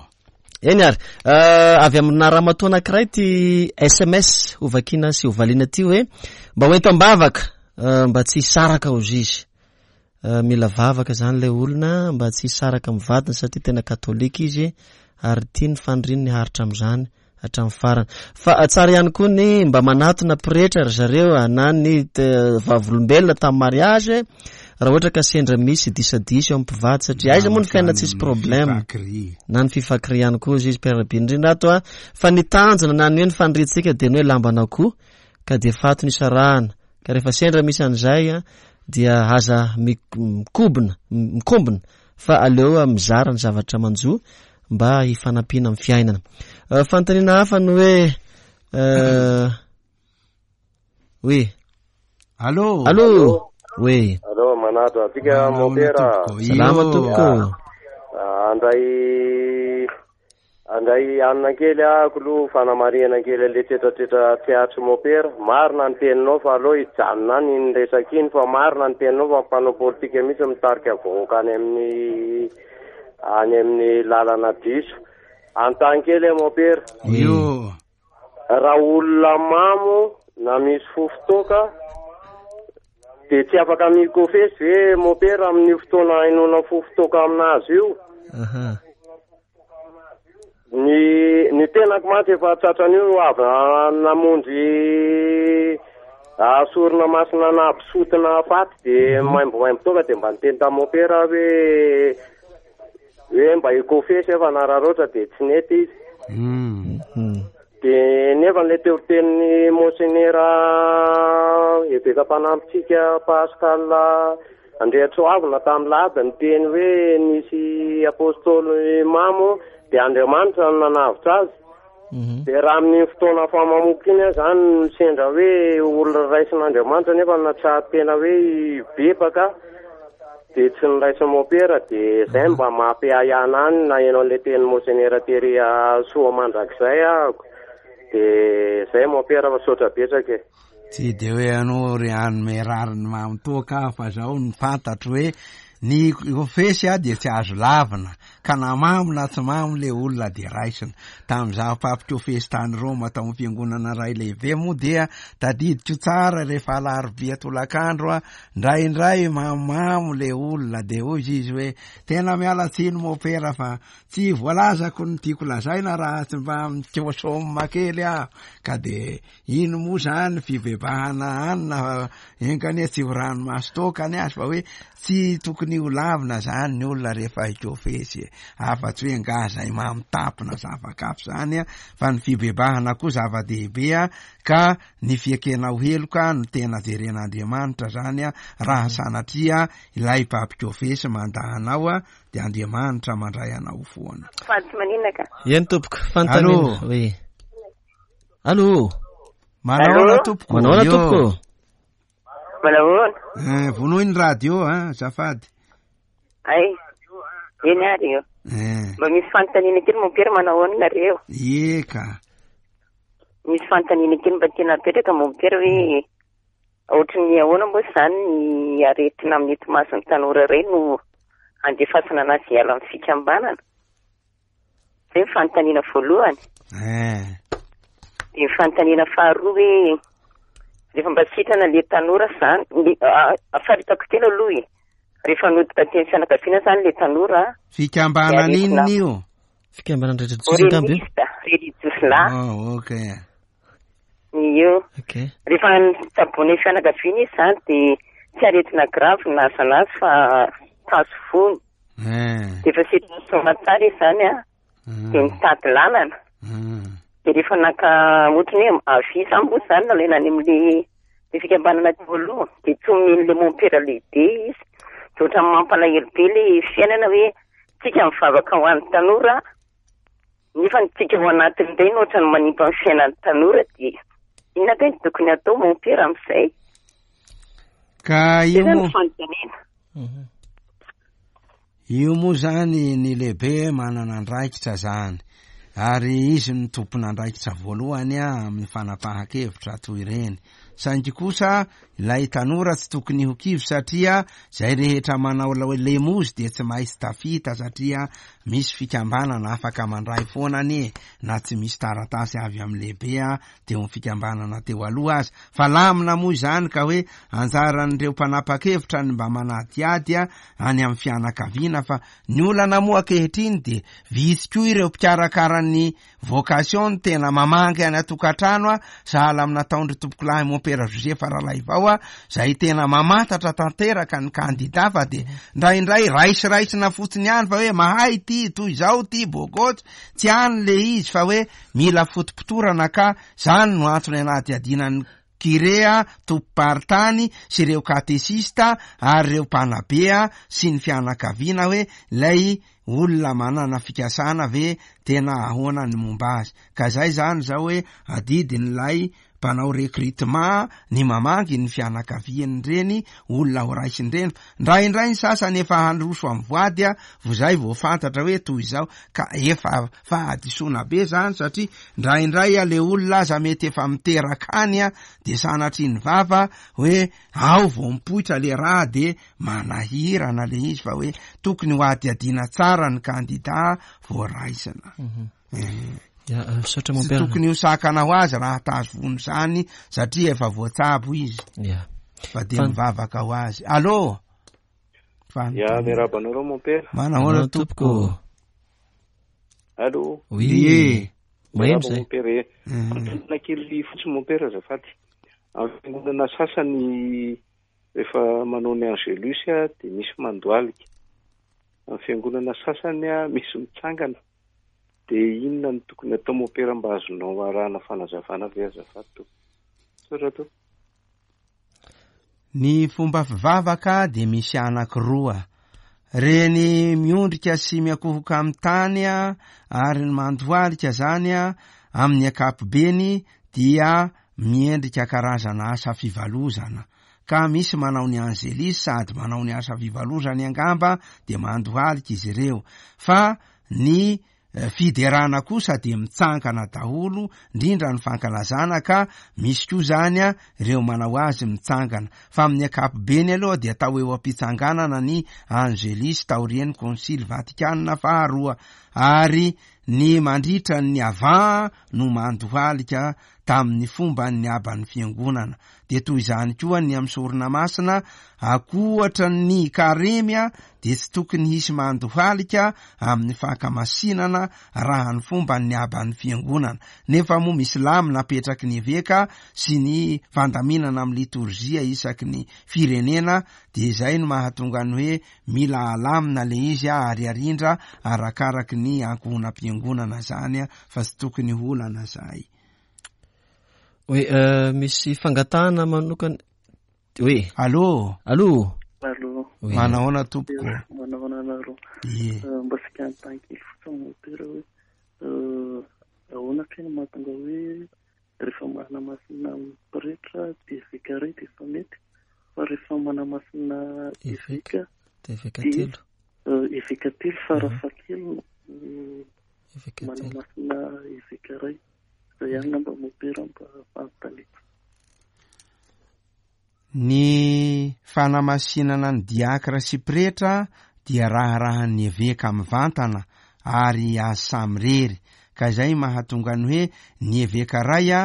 Speaker 1: Eny ary, euh, avy amina ramatoa anankiray ty S M S hovakina sy hovaliana ty hoe mba ho ento am-bavaka, euh, mba tsy hisaraka hozy izy. Euh, mila vavaka zany ilay olona mba tsy hisaraka amin'ny vadiny satria tena katolika izy ary tia ny faniriany ny haritra amin'izany hatramin'ny farany. Fa tsara ihany koa ny mba manatona pretra ry zareo na ny te-, vavolombelona tamin'ny mariage raha ohatra ka sendra misy disadisa eo amin'ny mpivady, satria aiza moa ny fiainana tsisy problème. Na ny fifakiri ihany koa izy, Père Bindrindra ato a. Fa ny tanjona na ny hoe ny faniriantsika dia ny hoe lamban'akoho ka dia faty ny isarahana. Ka rehefa sendra misy an'izay a, dia aza mi-, mikobona, mikombona fa aleo mizara ny zavatra manjo mba hifanampiana amin'ny fiainana. Euh, fanontaniana hafa ny hoe, euh, oui.
Speaker 2: Allô?
Speaker 1: Allô? Oui.
Speaker 5: Allô, manatona antsika
Speaker 2: Manao
Speaker 5: mopera.
Speaker 2: tompoko.
Speaker 1: Salama
Speaker 2: Io.
Speaker 1: tompoko.
Speaker 5: Ah, andray, andray anina kely ahako aloha, fanamarihana kely an'ilay tsetratsetra tsy ahatry mopera. Marina ny teninao fa aloha hijanona any iny resaka iny, fa marina ny teninao fa mpanao politika mihitsy mitarika vahoaka any amin'ny, any amin'ny lalana diso. Antany kely aho mopera.
Speaker 2: Io.
Speaker 5: Raha olona mamo na misy fofotoka de tsy afaka mikofesy ve mopera amin'ny fotoana hainoana fofotoka aminazy io?
Speaker 1: Aha.
Speaker 5: Ny, ny tenako mantsy efa tratran'io avy namonjy sorona masina nampisotina faty de
Speaker 1: Mhm.
Speaker 5: maimbomaimbo toka de mba niteny tamin'ny mopera hoe, hoe mba hikofesy efa nararaotra de tsy nety izy.
Speaker 2: Mm.
Speaker 1: Mhm.
Speaker 5: De nefa ilay teo tenin'ny monseigneur eveka mpanampitsika Pascal Andriatsoavina tamin'ny lady niteny hoe nisy apôstôly mamo de Andriamanitra no nanavotra azy.
Speaker 1: Mhm.
Speaker 5: De raha amin'ny fotoana famamoka iny aho zany misendra hoe olona raisin'Andriamanitra nefa natsahatra tena hoe hibebaka de tsy niraisin'ny mopera, de zay mba mampiahiahy any na eno an'ilay tenin'ny monseigneur Thierry soa mandrakizay ahako. De zay mopera fa saotra betsaka e.
Speaker 2: Tsy de hoe anao ry hanome rariny mamitoaka aho, fa zao ny fantatro hoe ny kofesy a dia tsy azo lavina, ka na mamo na tsy mamo le olona de raisina. Tamin'izaho mpampikofesy tany Roma tao amin'ny fiangonana iray lehibe moa dia tadidiko tsara rehefa alarobia tolakandro a, indraindray mamamo le olona de hoy izy hoe tena miala tsiny mopera fa tsy voalazako ny tiako lazaina raha tsy mba mikosoma kely aho. Ka de ino moa zany fibebahana anina enkanie tsy ho ranomaso toaka ny azy fa hoe tsy tokony ho lavina zany ny olona rehefa hikofesy e. e, afa-tsy hoe angaha zay mamitapina zava-kafo zany a, fa ny fibebahana koa zava-dehibe a, ka ny fiekenao heloka no tena jeren'Andriamanitra zany a, raha sanatria ilay mpampikofesy mandà anao a, de Andriamanitra mandray anao foana.
Speaker 6: Fa tsy maninona ka.
Speaker 1: Eny tompoko, fanontaniana.
Speaker 2: Allô?
Speaker 1: Oui. Allô?
Speaker 2: Manahoana tompoko?
Speaker 1: Manahoana
Speaker 2: Yo.
Speaker 1: tompoko?
Speaker 6: Manahoana?
Speaker 2: Eh, vonoy ny radio a, azafady.
Speaker 6: Ay, eny ary io.
Speaker 2: Eh,
Speaker 6: Mba misy fanontaniana kely mompera, manahoana nareo?
Speaker 2: eka.
Speaker 6: Misy fanontaniana kely mba tiana apetraka mompera hoe ohatry ny ahoana moa izany ny aretina amin'ny etomason'ny tanora iray no andefasana anazy hiala amin'ny fikambanana? Zay ny fanontaniana voalohany.
Speaker 2: Eh,
Speaker 6: Dia ny fanontaniana faharoa hoe rehefa mba sitrana le tanora zany, le- a- a- faritako tena aloha e. Rehefa nody taty amin'ny fianakaviana zany le tanora,
Speaker 2: fikambanana
Speaker 6: Dia
Speaker 2: inona
Speaker 6: aretina.
Speaker 2: io?
Speaker 1: Fikambanana religiosy angamba io?
Speaker 6: Oremista, religiosy
Speaker 2: Oh, ok.
Speaker 6: ny eo.
Speaker 1: Ok.
Speaker 6: Rehefa nitsaboana ny fianakaviana izy zany dia tsy aretina grave no nahazo anazy fa tazo fony.
Speaker 2: Eh.
Speaker 6: Dia efa sitrana soamantsara izy zany a, dia nitady lalana.
Speaker 2: Mm.
Speaker 6: Dia rehefa naka ohatry ny hoe avy zany moa zany nalaina any amin'le le fikambanana teo aloha, dia tsy omen'le mompera lehibe izy. Dia ohatran'ny mampalahelo be le fiainana hoe tsika mivavaka ho an'ny tanora, nefa ny tsika ao anatin'ireny ohatran'ny manimba ny fiainan'ny tanora, dia inona kay no tokony atao mompera amin'izay?
Speaker 2: Ka
Speaker 6: Zay
Speaker 2: io
Speaker 6: zany
Speaker 2: moa
Speaker 6: ny fanontaniana.
Speaker 2: io moa zany ny lehibe manana andraikitra zany, ary izy no tompon'andraikitra voalohany a amin'ny fanapahan-kevitra toy ireny. Saingy kosa ilay tanora tsy tokony ho kivy satria zay rehetra manao la- lemozy dia tsy maintsy tafita, satria misy fikambanana afaka mandray foana anie na tsy misy taratasy avy amin'ny lehibe a teo amin'ny fikambanana teo aloha azy. Fa lamina moa izany ka hoe anjaran'ireo mpanapa-kevitra ny mba manadihady a any amin'ny fianakaviana, fa ny olana moa ankehitriny de vitsy koa ireo mpikarakara ny vocation no tena mamangy any an-tokantrano a, sahala amin'ny nataondry tompokolahy mompera Joseph Ralaivao a, zay tena mamantatra tanteraka ny kandida, fa de ndraindray raisiraisina fotsiny ihany fa hoe mahay ty toy izao ty bogotsy tsy any le izy, fa hoe mila fotopotorana, ka zany no antony anadihadiana ny kirea tompo-paritany sy ireo katesista ary ireo mpanabe sy ny fianakaviana hoe lay olona manana fikasana ve tena ahoana ny momba azy. Ka zay zany zao hoe adidin'ilay mpanao recrutement ny mamangy ny fianakavian'ireny olona ho raisin'ireny. Ndraindray ny sasany efa handroso amin'ny voady a vo zay vao fantatra hoe toy izao, ka efa fahadisoana be zany, satria ndraindray a le olona aza mety efa miteraka any a de sanatria ny vava hoe ao vao mipoitra le raha, de manahirana le izy, fa hoe tokony ho adihadiana tsara ny kandida voaraisina. Eh.
Speaker 1: Ya, eh, misaotra
Speaker 2: Tsy
Speaker 1: mompera.
Speaker 2: tokony ho sakana ho azy raha tazo vono zany satria efa voatsabo izy.
Speaker 1: Ya.
Speaker 2: Fa de
Speaker 1: Fan-
Speaker 2: mivavaka ho azy. Allô?
Speaker 7: Ya, miarahaba anareo mompera.
Speaker 2: Manahoana tompoko?
Speaker 7: Allô?
Speaker 1: Oui.
Speaker 2: Ie.
Speaker 1: Maheno
Speaker 7: Miarahaba
Speaker 1: zay.
Speaker 7: mompera e.
Speaker 2: Mm.
Speaker 7: Fanontaniana kely fotsiny mompera azafady. Amin'ny fiangonana sasany rehefa manao ny Angelus a dia misy mandohalika. Amin'ny fiangonana sasany a misy mitsangana. Dia inona no tokony atao mompera mba azonao arahana fanazavana ve azafady tompoko? Misaotra tompoko.
Speaker 2: Ny fomba fivavaka dia misy anankiroa. Reny miondrika sy miakohoka amin'ny tany a, ary ny mandohalika zany a, amin'ny ankapobeny dia miendrika karazana asa fivalozana. Ka misy manao ny angelis sady manao ny asa fivalozany angamba dia mandohalika izy ireo. Fa ny eh, fiderana kosa dia mitsangana daholo, indrindra ny fankalazana, ka misy koa zany a ireo manao azy mitsangana. Fa amin'ny ankapobeny aloha dia atao eo am-pitsanganana ny angelis taorian'ny konsily Vatikana faharoa, ary ny mandritra ny avant no mandohalika tamin'ny fomban'ny aban'ny fiangonana. Dia toy izany koa ny amin'ny sorona masina, ankoatra ny karemy dia tsy tokony hisy mandohalika amin'ny fankamasinana raha ny fomban'ny aban'ny fiangonana. Nefa moa misy lamina apetraky ny eveka sy ny fandaminana amin'ny litorjia isaky ny firenena, dia izay no mahatonga ny hoe mila alamina le izy ary arindra arakaraky ny ankohonam-piangonana zany, fa tsy tokony holana zay.
Speaker 1: Oui, euh, misy fangatahana manokana. Oui.
Speaker 2: Allô?
Speaker 1: Allô?
Speaker 8: Allô.
Speaker 1: Oui.
Speaker 2: Manahoana tompoko?
Speaker 8: Manahoana anareo?
Speaker 2: Ie.
Speaker 8: Mba sika anontany kely fotsiny mopera hoe, euh, ahoana kay no mahatonga hoe rehefa manamasina pretra dia eveka iray dia efa mety, fa rehefa manamasina eveka
Speaker 1: Eveka
Speaker 8: dia,
Speaker 1: telo.
Speaker 8: euh, eveka telo farafahakeliny, euh,
Speaker 1: Eveka telo.
Speaker 8: manamasina eveka iray. Zay ihany ngamba mopera mba fanontaniako.
Speaker 2: Ny fanamasinana ny diakra sy pretra dia raharahan'ny eveka mivantana ary azy samirery, ka izay mahatonga ny hoe ny eveka ray a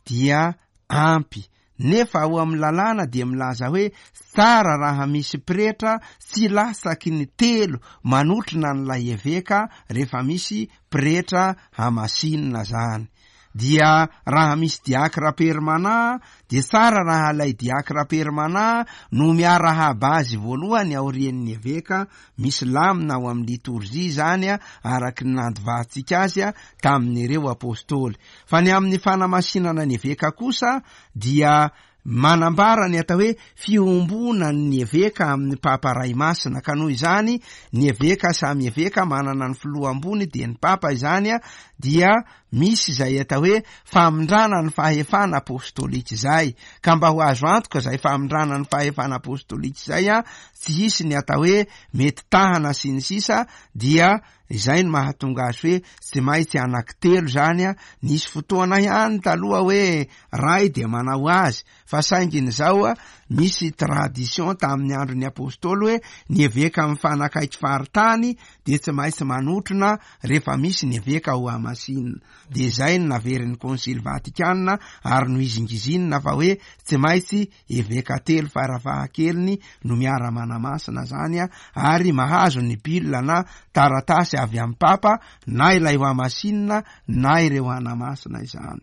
Speaker 2: dia ampy. Nefa ao amin'ny lalàna dia milaza hoe tsara raha misy pretra tsy latsaky ny telo manotrona an'ilay eveka rehefa misy pretra hamasinina zany. Dia raha misy diakra permanent dia tsara raha ilay diakra permanent no miarahaba azy voalohany aorian'ny eveka. Misy lamina ao amin'ny litorjia zany a, araky ny nandovantsika azy a, tamin'ireo apôstôly. Fa ny amin'ny fanamasinana ny eveka kosa dia manambara ny atao hoe fiombonan'ny eveka amin'ny papa ray masina, ka noho izany ny eveka samy eveka manana ny filoha ambony dia ny papa izany a, dia misy izay atao hoe famindrana ny fahefana apôstôlika izay, ka mba ho azo antoka izay famindrana ny fahefana apôstôlika izay a, tsy hisy ny atao hoe mety tahana sy ny sisa, dia izay no mahatonga azy hoe tsy maintsy anankitelo zany a. Nisy fotoana ihany taloha hoe ray dia manao azy, fa saingy ny zao a, misy tradition tamin'ny andron'ny apôstôly hoe ny eveka mifanakaiky faritany dia tsy maintsy manotrona rehefa misy ny eveka ho hamasinina. Dia izay no naverin'ny Konsily Vatikana ary nohizingizinina fa hoe tsy maintsy eveka telo farafahakeliny no miara-manamasina zany a, ary mahazo ny bulle na taratasy avy amin'ny papa na ilay ho hamasinina na ireo hanamasina izany.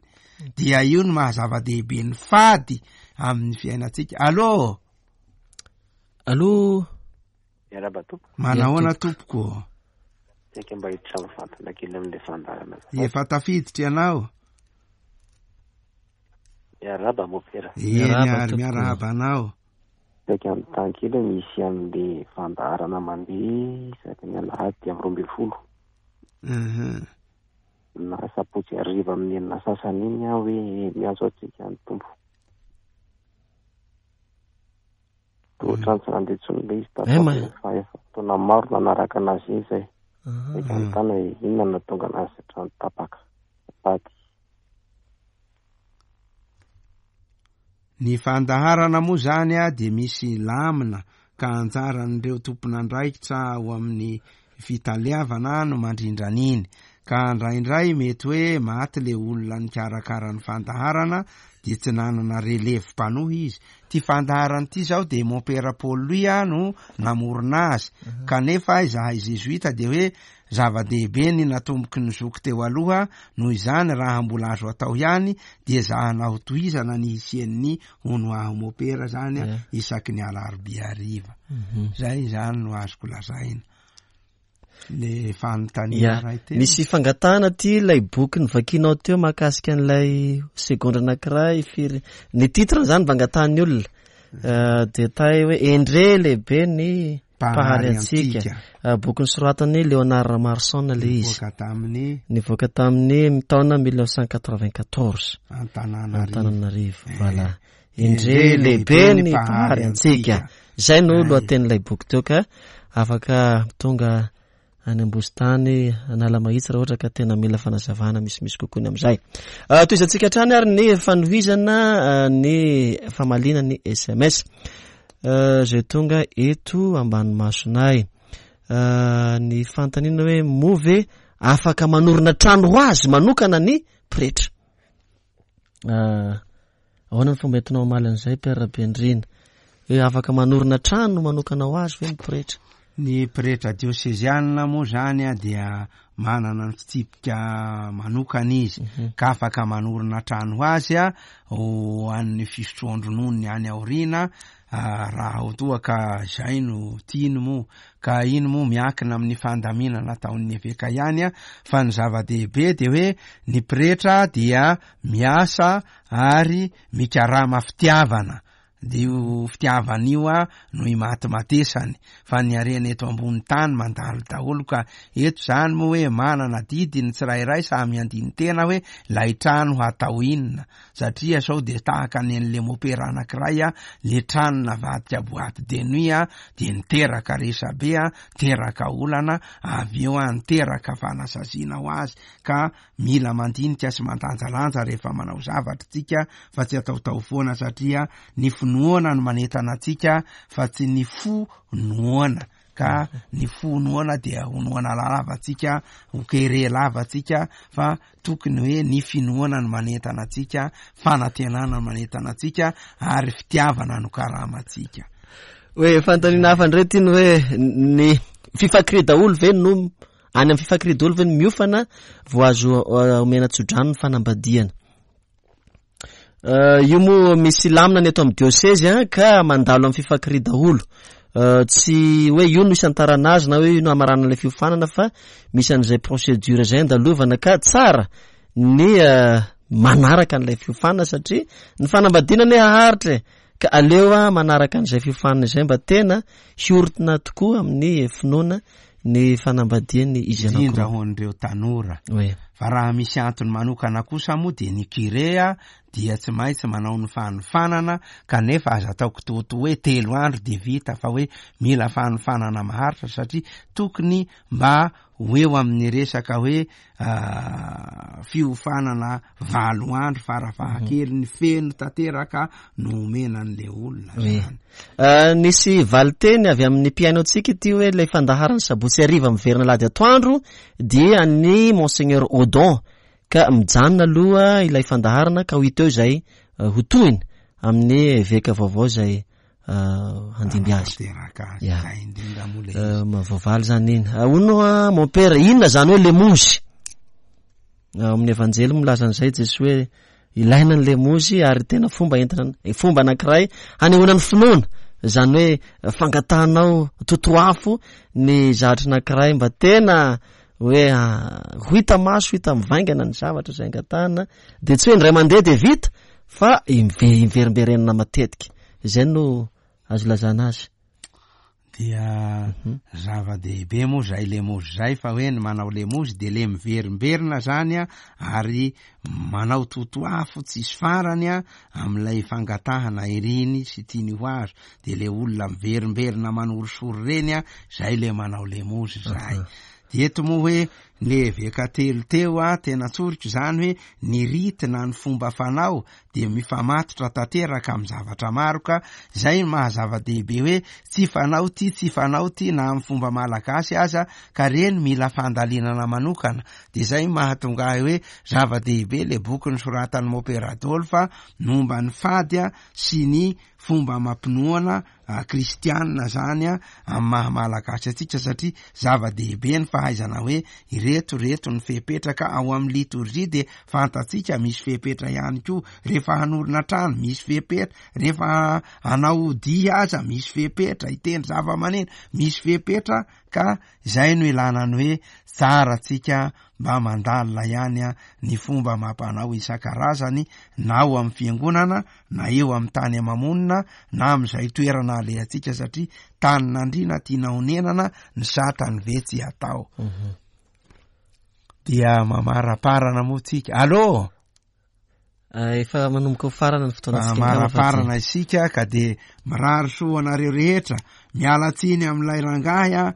Speaker 2: Dia io no mahazava-dehibe ny fady amin'ny fiainantsika. Allô?
Speaker 1: Allô?
Speaker 9: Miarahaba tompoko.
Speaker 2: Manahoana tompoko?
Speaker 9: Saika mba hiditra mivantana kely amin'ilay fandaharana.
Speaker 2: Efa tafiditra ianao?
Speaker 9: Miarahaba mopera.
Speaker 2: Eny
Speaker 1: Miarahaba
Speaker 2: ary
Speaker 1: tompoko.
Speaker 2: miarahaba anao.
Speaker 9: Saika anontany kely misy amin'ilay fandaharana mandeha isaky ny alahady amin'ny roa ambin'ny folo.
Speaker 2: Mhm.
Speaker 9: Na sabotsy hariva amin'ny enina sasany iny aho hoe miantso antsika ny Tompo. Toa ohatran'ny tsy nandeha intsony ilay izy tato
Speaker 1: Eh, ma-
Speaker 9: aoriana, fa efa fotoana maro nanaraka anazy iny izay.
Speaker 1: Aha.
Speaker 9: Saika anontany hoe inona no nahatonga anazy hatrany tapaka. Paty.
Speaker 2: Ny fandaharana moa zany a dia misy lamina ka anjaran'ireo tompon'andraikitra ao amin'ny fitaleavana no mandrindra an'iny. Ka indraindray mety hoe maty le olona nikarakara ny fandaharana dia tsy nanana relève mpanohy izy. Ty fandaharana ity zao dia Mompera Paul Louis a no namorona azy.
Speaker 1: Mhm.
Speaker 2: Kanefa izahay Jesuita dia hoe zava-dehibe ny natomboky ny zoky teo aloha, noho izany raha mbola azo atao ihany dia ezahana ho tohizana ny hisian'ny hono aho Mompera zany a,
Speaker 1: Yeah.
Speaker 2: isaky ny alarobia hariva.
Speaker 1: Mhm.
Speaker 2: Zay zany no azoko lazaina. Le fanontaniana
Speaker 1: Ya,
Speaker 2: ray teo.
Speaker 1: misy fangatahana ty ilay boky novakianao teo mahakasika an'ilay segondra anankiray firy. Ny titre zany mba angatahan'ny olona. Eh, dia tay hoe Endre lehibe ny mpahary antsika.
Speaker 2: antsika.
Speaker 1: Eh, boky nosoratan'i Léonard Ramarson le izy.
Speaker 2: Nivoaka tamin'ny
Speaker 1: Nivoaka tamin'ny taona mille neuf cent quatre-vingt-quatorze.
Speaker 2: Antananarivo.
Speaker 1: Antananarivo, voilà.
Speaker 2: Endre
Speaker 1: Endre lehibe
Speaker 2: lehibe
Speaker 1: ny
Speaker 2: ny
Speaker 1: mpahary
Speaker 2: mpahary
Speaker 1: antsika.
Speaker 2: antsika.
Speaker 1: Zay no
Speaker 2: Ay.
Speaker 1: lohatenin'ilay boky teo ka afaka tonga any Ambositany, Analamahitsy raha ohatra ka tena mila fanazavana misimisy kokoa ny amin'izay. Ah, tohizantsika hatrany ary ny fanohizana, ah, ny famaliana ny S M S. Ah, zay tonga eto ambany masonay. Ny fanontaniana hoe moa ve afaka manorina trano ho azy manokana ny pretra? Ahoana ny fomba entinao hamaly an'izay, Père Rabenirina? Hoe afaka manorina trano manokana ho azy ve ny pretra?
Speaker 2: Ny pretra diosezianina moa zany a dia manana ny fitsipika manokana izy, ka afaka manorina trano ho azy a ho an'ny fisotroan-drononony any aoriana, raha ho toa ka izay no tiany moa, ka iny moa miankina amin'ny fandaminana ataon'ny eveka ihany a, fa ny zava-dehibe dia hoe ny pretra dia miasa ary mikarama fitiavana. Dia io fitiavana io a no imatimatesany, fa ny harena eto ambony tany mandalo daholo. Ka eto zany moa hoe manana didy ny tsirairay samy andinin-tena hoe lay trano hatao inona, satria sao dia tahaka ny an'le mopera anankiray a, le trano navadika boîte de nuit a, dia niteraka resabe a, teraka olana, avy eo a niteraka fanasaziana ho azy. Ka mila mandinika sy mandanjalanja rehefa manao zavatra tsika, fa tsy ataotao foana, satria ny finoana no manentana antsika fa tsy ny fo noana. Ka ny fo noana dia ho noana lava tsika, ho kere lava tsika, fa tokony hoe ny finoana no manentana antsika, fanantenana no manentana antsika, ary fitiavana no karamantsika.
Speaker 1: Hoe fanontaniana hafa indray ty ny hoe ny fifakiri daholo ve no any amin'ny fifakiri daholo ve no miofana vao azo omena tsodrano ny fanambadiana? Io moa misy lamina ny eto amin'ny diosezy a, ka mandalo amin'ny fifakiri daholo. Tsy hoe io no isantarana azy na hoe io no hamarana ilay fiofanana, fa misy an'izay procédure izay andalovana, ka tsara ny manaraka an'ilay fiofanana, satria ny fanambadiana anie haharitra e, ka aleo a manaraka an'izay fiofanana izay mba tena hiorina tokoa amin'ny finoana ny fanambadiany izy anankiroa.
Speaker 2: Indrindra ho an'ireo tanora.
Speaker 1: Oui.
Speaker 2: Fa raha misy antony manokana kosa moa dia ny kirea dia tsy maintsy manao ny fanofanana, kanefa aza atao kitoatoa hoe telo andro dia vita, fa hoe mila fanofanana maharitra, satria tokony mba ho eo amin'ny resaka hoe fiofanana valo andro farafahakeliny feno tanteraka no omena an'le olona zany.
Speaker 1: Nisy valinteny avy amin'ny mpihaino antsika ity hoe ilay fandaharana sabotsy hariva miverina alahady atoandro dia ny Monseigneur Odon, ka mijanona aloha ilay fandaharana ka ho hita eo izay ho tohiny amin'ny eveka vaovao izay handimby azy.
Speaker 2: Tanteraka azy.
Speaker 1: Ya.
Speaker 2: Zay indrindra moa ilay izy.
Speaker 1: Voavaly zany iny. Hono a, mon père, inona zany hoe lemozy? Amin'ny evanjely milaza an'izay Jesoa hoe ilaina ny lemozy ary tena fomba entina, fomba anankiray hanehoana ny finoana. Zany hoe fangatahanao totoafo ny zavatra anankiray mba tena hoe ho hita maso, hita mivaingana ny zavatra izay angatahana, dia tsy hoe indray mandeha dia vita fa imve-, imverimberenina matetika. Izay no azo ilazana azy.
Speaker 2: Dia zava-dehibe moa zay lemozy zay, fa hoe ny manao lemozy dia le miverimberina zany a, ary manao totoafo tsisy farany a amin'ilay fangatahana iriny sy tiany ho azo, dia le olona miverimberina manorisory reny a, zay le manao lemozy zay. Dia eto moa hoe ny eveka telo teo a, tena tsoriko zany hoe ny rity na ny fomba fanao dia mifamatotra tanteraka amin'ny zavatra maro, ka zay no maha-zava-dehibe hoe tsy fanao ty, tsy fanao ty na amin'ny fomba malagasy aza, ka reny mila fandalinana manokana. Dia zay mahatonga ahy hoe zava-dehibe le boky nosoratan'i Mopera Adolphe momba ny fady a sy ny fomba mampinoana kristianina zany a amin'ny maha malagasy antsika, satria zava-dehibe ny fahaizana hoe ireto reto ny fepetraka ao amin'ny liturgie, dia fantatsika misy fepetra ihany koa rehefa hanorina trano misy fepetra, rehefa hanao dia aza misy fepetra, hitendry zava-maneno misy fepetra, ka izay no ilana ny hoe tsara antsika mba mandalina ihany a ny fomba mampanao isan-karazany, na ao amin'ny fiangonana na eo amin'ny tany amamonina na amin'izay toerana alehantsika, satria tanin'andriana tiana honenana ny satany ve tsy atao.
Speaker 1: Mhm.
Speaker 2: Dia mamaraparana moa tsika. Allô?
Speaker 1: Efa manomboka ho farana ny fotoanantsika.
Speaker 2: Mamaraparana isika ka dia mirary soa anareo rehetra. Miala tsiny amin'ilay rangahy a,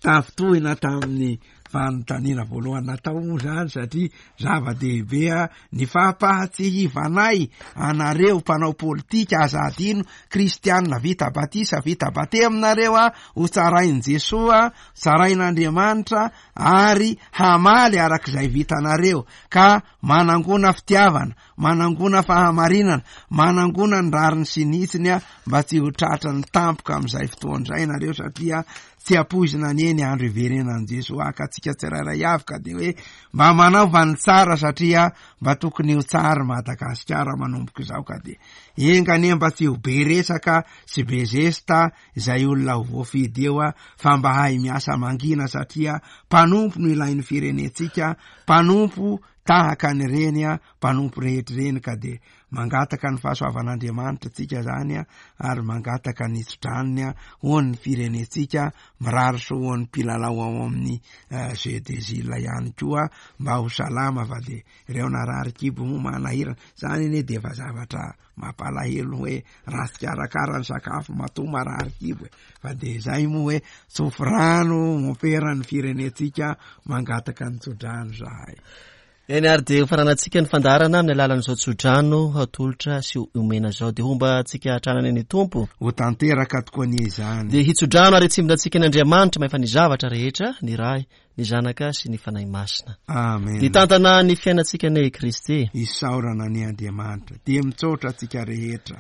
Speaker 2: tafintohina tamin'ny fanontaniana voalohany natao moa izany satria zava-dehibe ny fampahatsiahivanay anareo mpanao politika, aza adino kristianina vita batisa, vita batemy nareo a, ho tsarain'i Jesoa, tsarain'Andriamanitra ary hamaly arak'izay vitanareo, ka manangona fitiavana, manangona fahamarinana, manangona ny rariny sy ny hitsiny a, mba tsy ho tratran'ny tampoka amin'izay fotoana izay nareo, satria tsy ampoizina anie ny andro hiverenan'i Jesoa ka antsika tsirairay avy, ka dia hoe mba manaova ny tsara satria mba tokony ho tsara Madagasikara manomboka izao, ka dia enga anie mba tsy ho be resaka sy be zesta izay olona ho voafidy eo a, fa mba hahay miasa mangina satria mpanompo no ilain'ny firenentsika, mpanompo tahaka an'ireny a, mpanompo rehetra ireny, ka dia mangataka ny fahasoavan'Andriamanitra tsika zany a, ary mangataka ny tsodranony a ho an'ny firenentsika, mirary soa ho an'ny mpilalao ao amin'ny Jeux des Îles ihany koa mba ho salama, fa dia ireo narary kibo moa manahirana zany anie, dia efa zavatra mampalahelo hoe ratsy karakara ny sakafo matoa marary kibo e, fa dia izay moa hoe tsofy rano mompera ny firenentsika, mangataka ny tsodrano zahay.
Speaker 1: Eny ary dia hofaranantsika ny fandaharana amin'ny alalan'izao tsodrano atolotra sy omena izao, dia homba antsika hatrany ny Tompo.
Speaker 2: Ho tanteraka tokoa anie izany.
Speaker 1: Dia hitsodrano ary hitsimbina antsika ny Andriamanitra mahefa ny zavatra rehetra, ny Ray, ny Zanaka sy ny Fanahy Masina.
Speaker 2: Amen.
Speaker 1: Hitantana ny fiainantsika anie i Kristy.
Speaker 2: Isaorana anie Andriamanitra. Dia mitsaotra antsika rehetra.